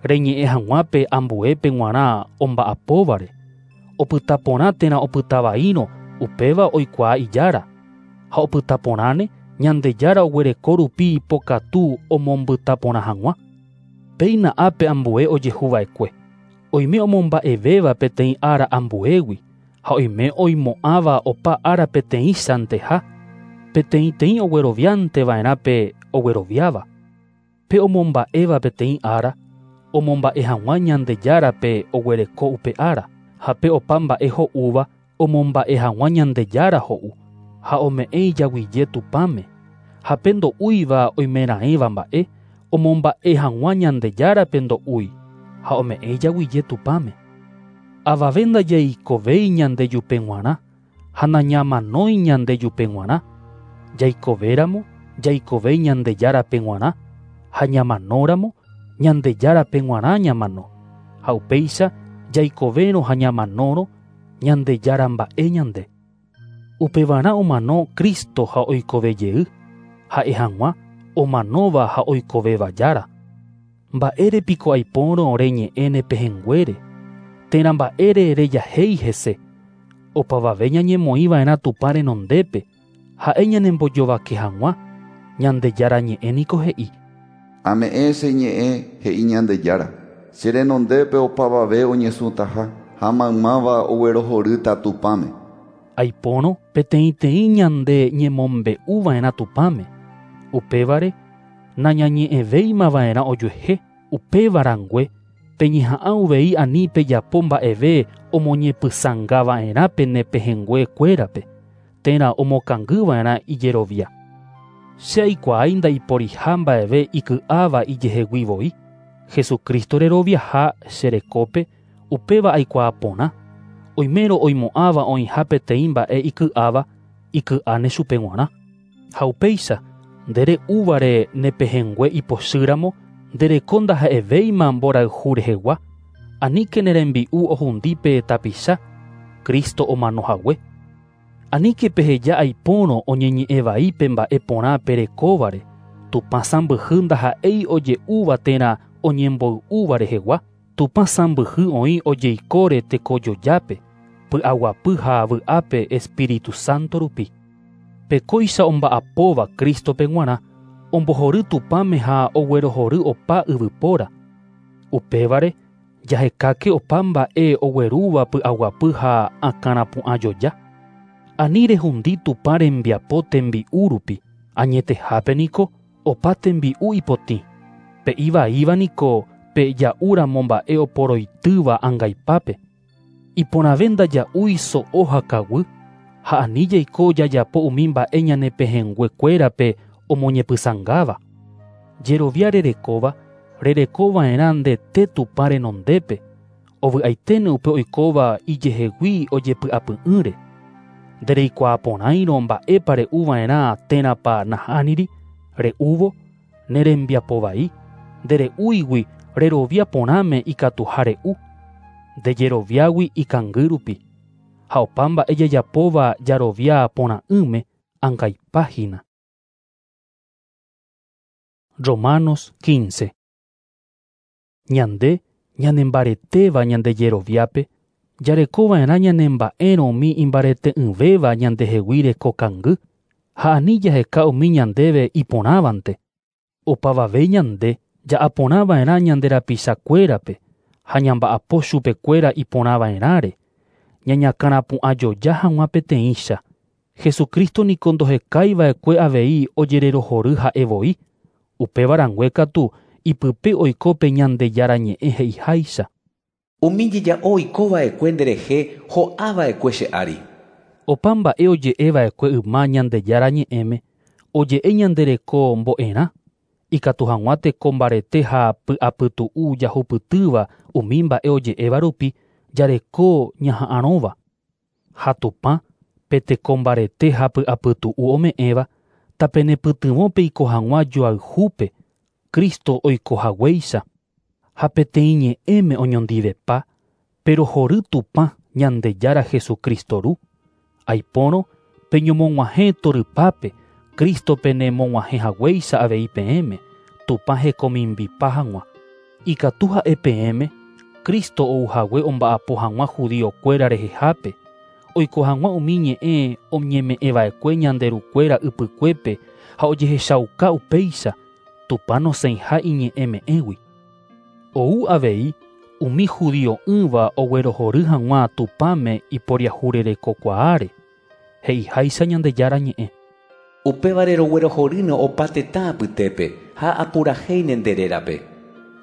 reñe'ẽ hag̃ua pe ambuépe g̃uarã omba'apóvare. Opyta porã térã opyta vaírõ upéva oikuaa ijára. Ha opyta porãne Ñandejára oguereko rupi ipokatu omombyta porã hag̃ua. Péina ápe ambue ojehuva'ekue. Oime omomba'evéva peteĩ ára ambuégui ha oime oimo'ãva opa ára peteĩchanteha. Peteĩteĩ oguerovianteva'erã pe ogueroviáva. Pe omomba'éva peteĩ ára omomba'e hag̃ua Ñandejárape oguereko upe ára ha pe opa mba'e ho'úva omomba'e hag̃ua Ñandejára ho'u ha ome'ẽ ijaguije Tupãme. Ha pe ndo'úiva oimeraẽva mba'e omomba'e hag̃ua Ñandejárape ndo'úi ha ome'ẽ ijaguije Tupãme. Avave ndajaikovéi ñandejupe g̃uarã ha nañamanói ñandejupe g̃uarã. Jaikovéramo jaikove Ñandejárape g̃uarã ha ñamanóramo Ñandejárape g̃uarã ñamano. Ha upéicha jaikovérõ ha ñamanórõ Ñandejára mba'e ñande. Upevarã omano Cristo ha oikove jey, ha'e hag̃ua omanóva ha oikovéva jára. Mba'ére piko aipórõ reñe'ẽ ne pehẽnguére, térã mba'ére rejahéi hese. Opavave ñañemoĩva'erã Tupã renondépe, ha'e ñanembojovake hag̃ua, Ñandejára ñe'ẽ niko he'i. Ame'ẽ che ñe'ẽ he'i Ñandejára. Che renondépe opavave oñesũtaha ha maymáva oguerohorýta Tupãme. Aipórõ peteĩteĩ ñande ñemombe'uva'erã Tupãme. Upévare nañañe'ẽvéimava'erã ojuehe, upéva rangue peñeha'ã uvei ani pejapo mba'eve omoñepysãngava'erã pene pehẽnguekuérape térã omokangyva'erã ijerovia. Che aikuaái ndaiporiha mba'eve iky'áva ijehegui voi. Jesucristo reroviaha che rekópe upéva aikuaa porã. Oimérõ oimo'ãva oĩha peteĩ mba'e iky'áva iky'áne chupe g̃uarã. Ha upéicha nde re'úvare ne pehẽngue ipochýramo nde reko ndaha'evéima mborayhu rehegua. Aníke ne rembi'u ohundi pe tapicha Cristo omano hague. Aníke peheja aipórõ oñeñe'ẽ vai pe mba'e porã perekóvare. Tupã sãmbyhy ndaha'éi oje'úva térã oñemboy'úva rehegua. Tupã sãmbyhy oĩ ojeikóre tekojojápe, py'aguapy ha vy'ápe Espíritu Santo rupi. Pekóicha omba'apóva Cristope g̃uarã ombohory Tupãme ha oguerohory opa yvypóra. Upévare jahekáke opa mba'e oguerúva py'aguapy ha akãrapu'ãjoja. Ani rehundi Tupã rembiapo tembi'u rupi, añetehápe niko opa tembi'u ipotĩ. Pe ivaíva niko pe ja'úramo mba'e oporoitýva angaipápe. Iporãve ndaja'úi so'o ha kaguy ha ani jaiko jajapo umi mba'e ñane pehẽnguekuérape omoñepysãngáva. Jerovia rerekóva rerekova'erã ndete Tupã renondépe, ovy'aiténe upe oikóva ijehegui ojepy'apy'ỹre. Ndereikuaa porãirõ mba'épa re'uva'erã térãpa nahániri, re'úvo ne rembiapo vai, ndere'úigui rerovia porãme ikatuha re'u, ndejeroviágui ikangy rupi. Ha opa mba'e jajapóva jarovia porã'ỹme angaipa hína. Romanos 15. Ñande ñanembaretéva ñandejeroviápe, jarekova'erã ñanemba'érõ umi imbarete'ỹvéva ñandehegui reko kangy, ha ani jaheka umi ñandéve iporãvante. Opavave ñande ja'aporãva'erã ñande rapichakuérape ha ñamba'apo chupekuéra iporãva'erãre, ñañakãrapu'ãjoja hag̃ua peteĩcha. Jesucristo niko ndohekaiva'ekue avei ojererohory ha'e voi, upéva rangue katu ipype oiko pe Ñandejára ñe'ẽ he'iháicha. Umi jeja'o oikova'ekue nderehe ho'ava'ekue che ári. Opa mba'e oje'eva'ekue yma Ñandejára ñe'ẽme, oje'e ñandereko mbo'erã, Ikatu hag̃ua teko mbarete ha py'apytu'u jahupytýva umi mba'e oje'éva rupi jareko ñaha'arõva. Ha Tupã pe teko mbarete ha py'apytu'u ome'ẽva tapenepytyvõ peiko hag̃ua joayhúpe Cristo oikohaguéicha ha peteĩ ñe'ẽme oñondivepa perohory Tupã Ñandejára Jesucristo ru. Aipórõ peñomog̃uahẽ torypápe Cristo penemog̃uahẽhaguéicha avei peẽme Tupã hekomimbipa hag̃ua. Ikatu ha'e peẽme Cristo ouhague omba'apo hag̃ua judiokuéra rehehápe oiko hag̃ua umi ñe'ẽ oñeme'ẽva'ekue ñanderukuéra ypykuépe ha ojehechauka upéicha Tupã nosẽiha iñe'ẽme'ẽgui. Ou avei umi judio'ỹva oguerohory hag̃ua Tupãme iporiahurerekokuaáre he'iháicha Ñandejára ñe'ẽ. Upévare roguerohorýne opa tetã apytépe ha apurahéine nde rérape.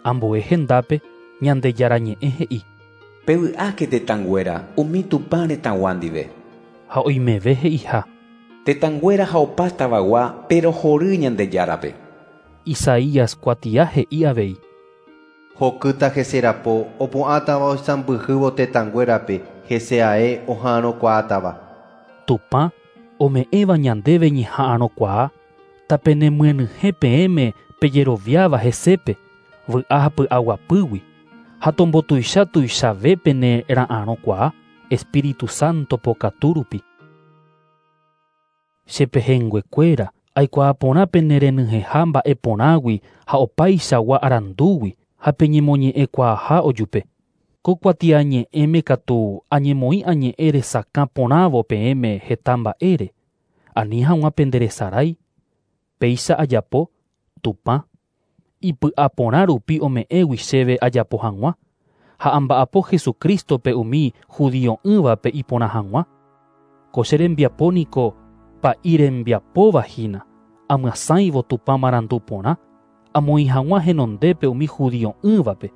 Ambue hendápe Ñandejára ñe'ẽ he'i. Pevy'áke tetãnguéra umi Tupã retãgua ndive. Ha oimeve he'iha. Tetãnguéra ha opa tavagua perohory Ñandejárape. Isaías kuatia he'i avei. Hokýta heserapo opu'ãtava oisãmbyhývo tetãnguérape hese ae oha'arõkuaátava. Tupã ome'ẽva ñandéve ñeha'arõkuaa tapenemyenyhẽ peẽme pejeroviáva hesépe vy'a ha py'aguapýgui ha tombotuicha tuichave pene ra'arõkuaa Espíritu Santo pokatu rupi. Chepehẽnguekuéra aikuaa porã pene renyhẽha mba'e porãgui ha opaichagua arandúgui ha peñemoñe'ẽkuaaha ojupe. Ko kuatiañe'ẽme katu añemoĩ añe'ẽ resakã porãvo peẽme heta mba'ére ani hag̃ua penderesarái. Péicha ajapo Tupã ipy'aporã rupi ome'ẽgui chéve ajapo hag̃ua ha amba'apo Jesucristope umi judio'ỹvape iporã hag̃ua. Ko che rembiapo niko pa'i rembiapóva hína amyasãivo Tupã marandu porã amoĩ hag̃ua henondépe umi judio'ỹvape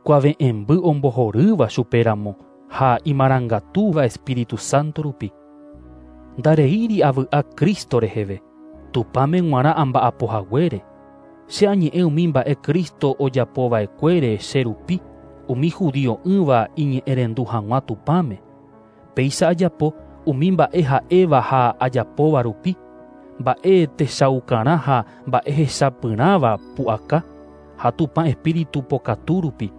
kuave'ẽmby ombohorýva chupéramo ha imarangatúva Espíritu Santo rupi. Ndareíri avy'a Cristo reheve Tupãme g̃uarã amba'apohaguére. Che añe'ẽ umi mba'e Cristo ojapova'ekuére che rupi umi judio'ỹva iñe'ẽrendu hag̃ua Tupãme. Péicha ajapo umi mba'e ha'éva ha ajapóva rupi mba'e techaukarã ha mba'e hechapyrãva pu'aka ha Tupã Espíritu pokatu rupi.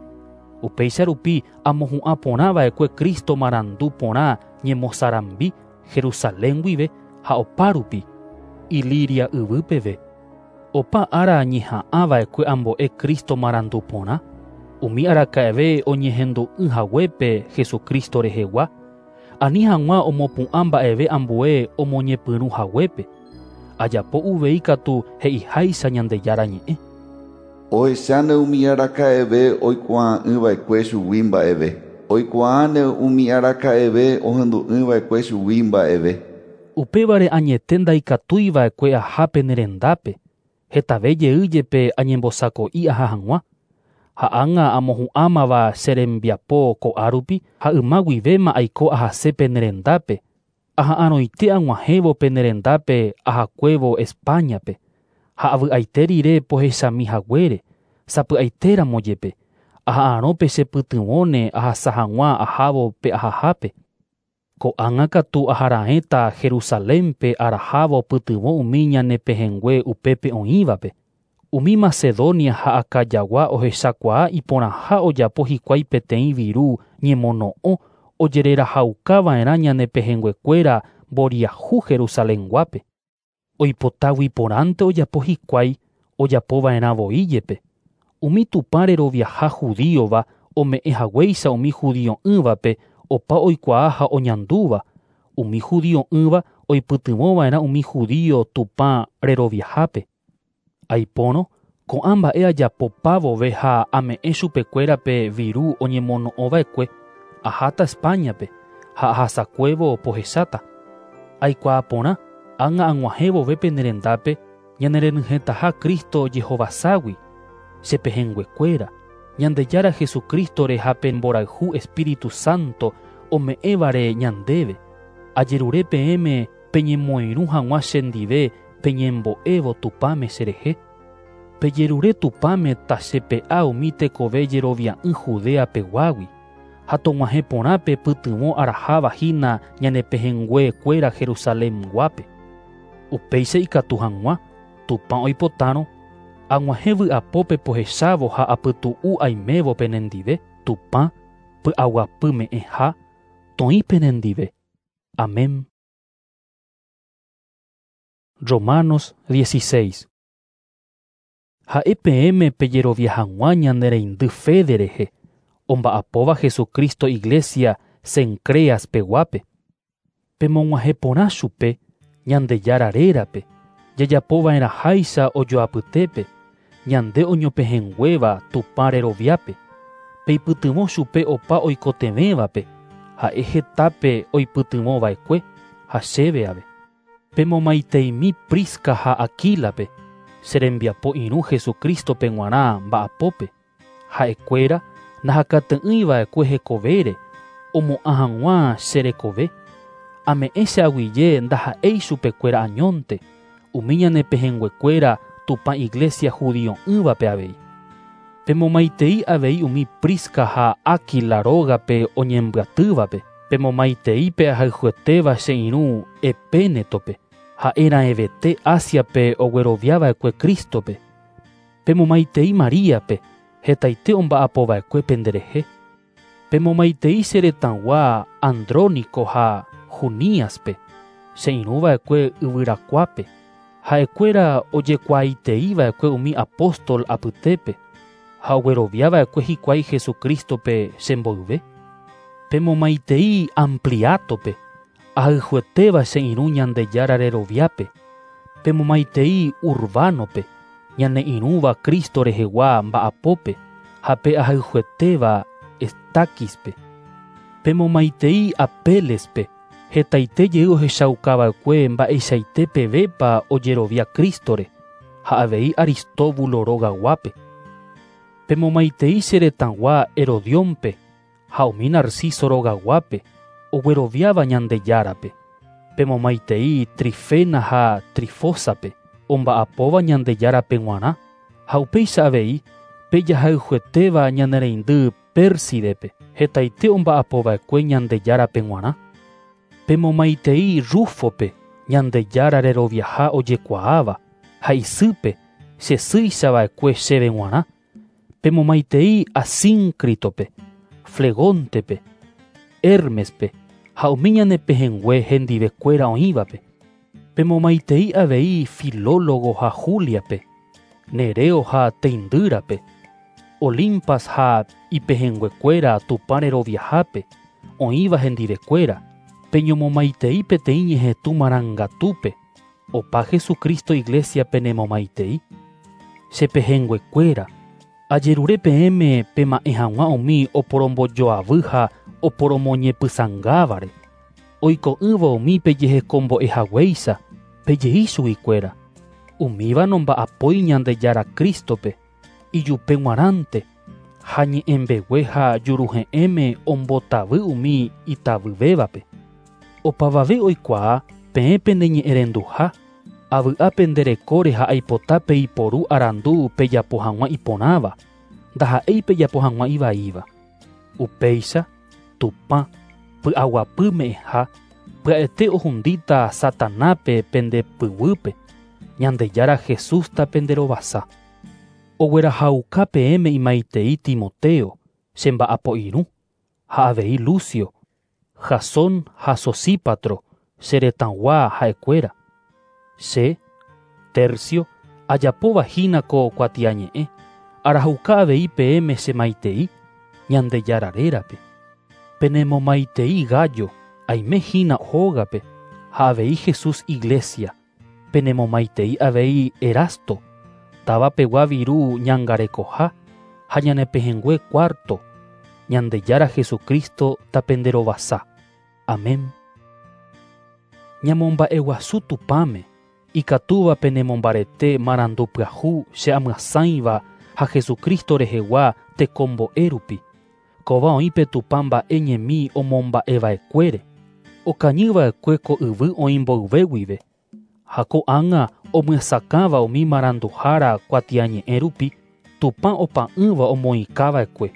Upéicha rupi amohu'ã porã va'ekue Cristo marandu porã ñemosarambi Jerusalén guive ha opa rupi Iliria yvy peve. Opa ára ñeha'ã va'ekue ambo'e Cristo marandu porã umi araka'eve oñehendu'ỹ haguépe Jesucristo rehegua ani hag̃ua omopu'ã mba'eve ambue omoñepyrũ haguépe. Ajapo uvei katu he'iháicha Ñandejára ñe'ẽ. Ohecháne umi araka'eve oikuaa'ỹva'ekue chugui mba'eve. Oikuaáne umi araka'eve ohendu'ỹva'ekue chugui mba'eve. Upévare añete ndaikatúiva'ekue aha pene rendápe hetave jey jepe añembosako'i aha hag̃ua. Ha ág̃a amohu'ãmava che rembiapo ko'a rupi ha yma guivéma aiko ahase pene rendápe. Aha'arõite ag̃uahẽvo pene rendápe ahakuévo Españape. Ha avy'aite rire pohechami haguére sapy'aitéramo jepe. Aha'arõpe chepytyvõne ahasa hag̃ua ahávo pe ahahápe. Ko'ág̃a katu aharaẽta Jerusalénpe arahávo pytyvõ umi ñanepehẽngue upépe oĩvape. Umi Macedonia ha Acayagua ohechakuaa iporãha ojapo hikuái peteĩ viru ñemono'õ ojererahaukava'erã ñanepehẽnguekuéra mboriahu Jerusalenguápe. Oipotágui porãnte ojapo hikuái ojapova'erã voi jepe. Umi Tupã reroviaha judíova ome'ẽhaguéicha umi judio'ỹvape opa oikuaa ha oñandúva. Umi judio'ỹva oipytyvõva'erã umi judío Tupã reroviahápe. Aipórõ ko'ã mba'e ajapopávove ha ame'ẽ chupekuérape viru oñemono'õva'ekue aháta Españape ha ahasakuévo pohecháta. Aikuaa porã ág̃a ag̃uahẽvove pene rendápe ñanerenyhẽtaha Cristo jehovaságui chepehẽnguekuéra. Ñandejára Jesucristo ha pe mborayhu Espíritu Santo ome'ẽvare ñandéve. Ajerure peẽme peñemoirũ hag̃ua chendive peñembo'évo Tupãme cherehe. Pejerure Tupãme tachepe'a umi tekove jerovia'ỹ Judea peguágui ha tog̃uahẽ porã pe pytyvõ araháva hína ñane pehẽnguekuéra Jerusalenguápe. Upéicha ikatu hag̃ua Tupã oipotárõ ag̃uahẽ vy'apópe pohechávo ha apytu'u aimévo penendive Tupã py'aguapyme'ẽha toĩ penendive. Amén. Romanos 16. Ha'e peẽme pejerovia hag̃ua ñane reindy Fede rehe, omba'apóva Jesucristo Iglesia Cencreas peguápe. Pemog̃uahẽ porã chupe Ñandejára rérape, jajapova'erãháicha ojoapytépe, ñande oñopehẽnguéva Tupã reroviápe. Peipytyvõ chupe opa oikotevẽvape, ha'e hetápe oipytyvõva'ekue ha chéve ave. Pemomaiteimi Prisca ha Aquílape, che rembiapo irũ Jesucristo-pe g̃uarã mba'apópe. Ha'ekuéra nahakate'ỹiva'ekue hekovére omo'ã hag̃ua che rekove. Ame'ẽ che aguyje ndaha'éi chupekuéra añónte, umi ñane pehẽnguekuéra Tupã Iglesia judio'ỹvape avei. Pemomaitei avei umi Prisca ha Aquila rógape oñembyatývape. Pemomaitei pe ahayhuetéva che irũ Epénetope, ha'erãevete Asiape ogueroviava'ekue Cristo-pe. Pemomaitei Maríape, hetaite omba'apova'ekue penderehe. Pemomaitei che retãgua Andrónico ha Juníaspe, che irũva'ekue yvyrakuápe. Ha'ekuéra ojekuaaiteiva'ekue umi apóstol apytépe ha ogueroviava'ekue hikuái Jesucristo-pe chemboyve. Pemomaitei Ampliatope, ahayhuetéva che irũ Ñandejára reroviápe. Pemomaitei Urbanope, ñane irũva Cristo rehegua mba'apópe ha pe ahayhuetéva Estaquispe. Pemomaitei Apelespe, hetaite jey ohechaukava'ekue mba'eichaite pevépa ojerovia Cristore ha avei Aristóbulo rogaguápe. Pemomaitei che retãgua Herodiónpe ha umi Narciso rogaguápe ogueroviáva Ñandejárape. Pemomaitei Trifena ha Trifósape omba'apóva Ñandejárape g̃uarã ha upéicha avei pejahayhuetéva ñane reindy Pérsidepe hetaite omba'apova'ekue Ñandejárape g̃uarã. Pemomaitei Rúfope Ñandejára reroviaha ojekuaáva ha isýpe che sýichava'ekue chéve g̃uarã. Pemomaitei Asíncritope, Flegontepe, Hermespe ha umi ñane pehẽngue hendivekuéra oĩvape. Pemomaitei avei Filólogo ha Juliape, Nereo ha Teindýrape, Olimpas ha ipehẽnguekuéra Tupã reroviahápe oĩva hendivekuéra. Peñomomaitei peteĩ ñehetũ marangatúpe, opa Jesucristo Iglesia penemomaitei. Che pehẽnguekuéra, ajerure peẽme pema'ẽ hag̃ua umi oporombojoavy ha oporomoñepysãngávare. Oiko'ỹva umi pejehekombo'ehaguéicha, pejei chuguikuéra. Umíva nomba'apói Ñandejára Cristo-pe, ijupe g̃uarãnte, ha ñe'ẽmbegue ha juruhe'ẽme ombotavy umi itavyvévape. Opavave oikuaa peẽ peneñe'ẽrenduha, avy'a penderekóre ha aipota peiporu arandu pejapo hag̃ua iporãva, ndaha'éi pejapo hag̃ua ivaíva. Upéicha, Tupã, py'aguapyme'ẽha, pya'ete ohundíta Satanápe pende pyguýpe, Ñandejára Jesústa penderovasa. Oguerahauka peẽme imaitei Timoteo, che mba'apo irũ, ha avei Lucio, Jasón ha Sosípatro, che retãgua ha'ekuéra. Che, Tercio, ajapóva hína ko kuatiañe'ẽ, arahauka avei peẽme che maitei, Ñandejára rérape. Penemomaitei Gayo, aime hína hógape, ha avei Jesús Iglesia. Penemomaitei avei Erasto, táva pegua viru ñangarekoha ha ñane pehẽngue Cuarto, Ñandejára Jesucristo tapenderovasa. Amén. Ñamomba'eguasu Tupãme, ikatúva penemombarete marandu pyahu che amyasãiva ha Jesucristo rehegua tekombo'e rupi. Kóva oĩ pe Tupã mba'e ñemi omomba'eva'ekuére. Okañyva'ekue ko yvy oĩ mboyve guive. Ha ko'ág̃a Omyesakãva umi maranduhára kuatiañe'ẽ rupi Tupã opa'ỹva omoĩkava'ekue.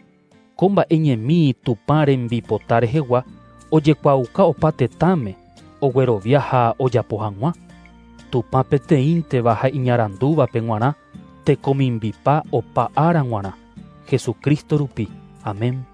Ko mba'e ñemi Tupã rembipota rehegua ojekuaauka opa tetãme oguerovia ha ojapo hag̃ua. Tupã peteĩnteva ha iñarandúvape g̃uarã tekomimbipa opa ára g̃uarã. Jesucristo rupi. Amén.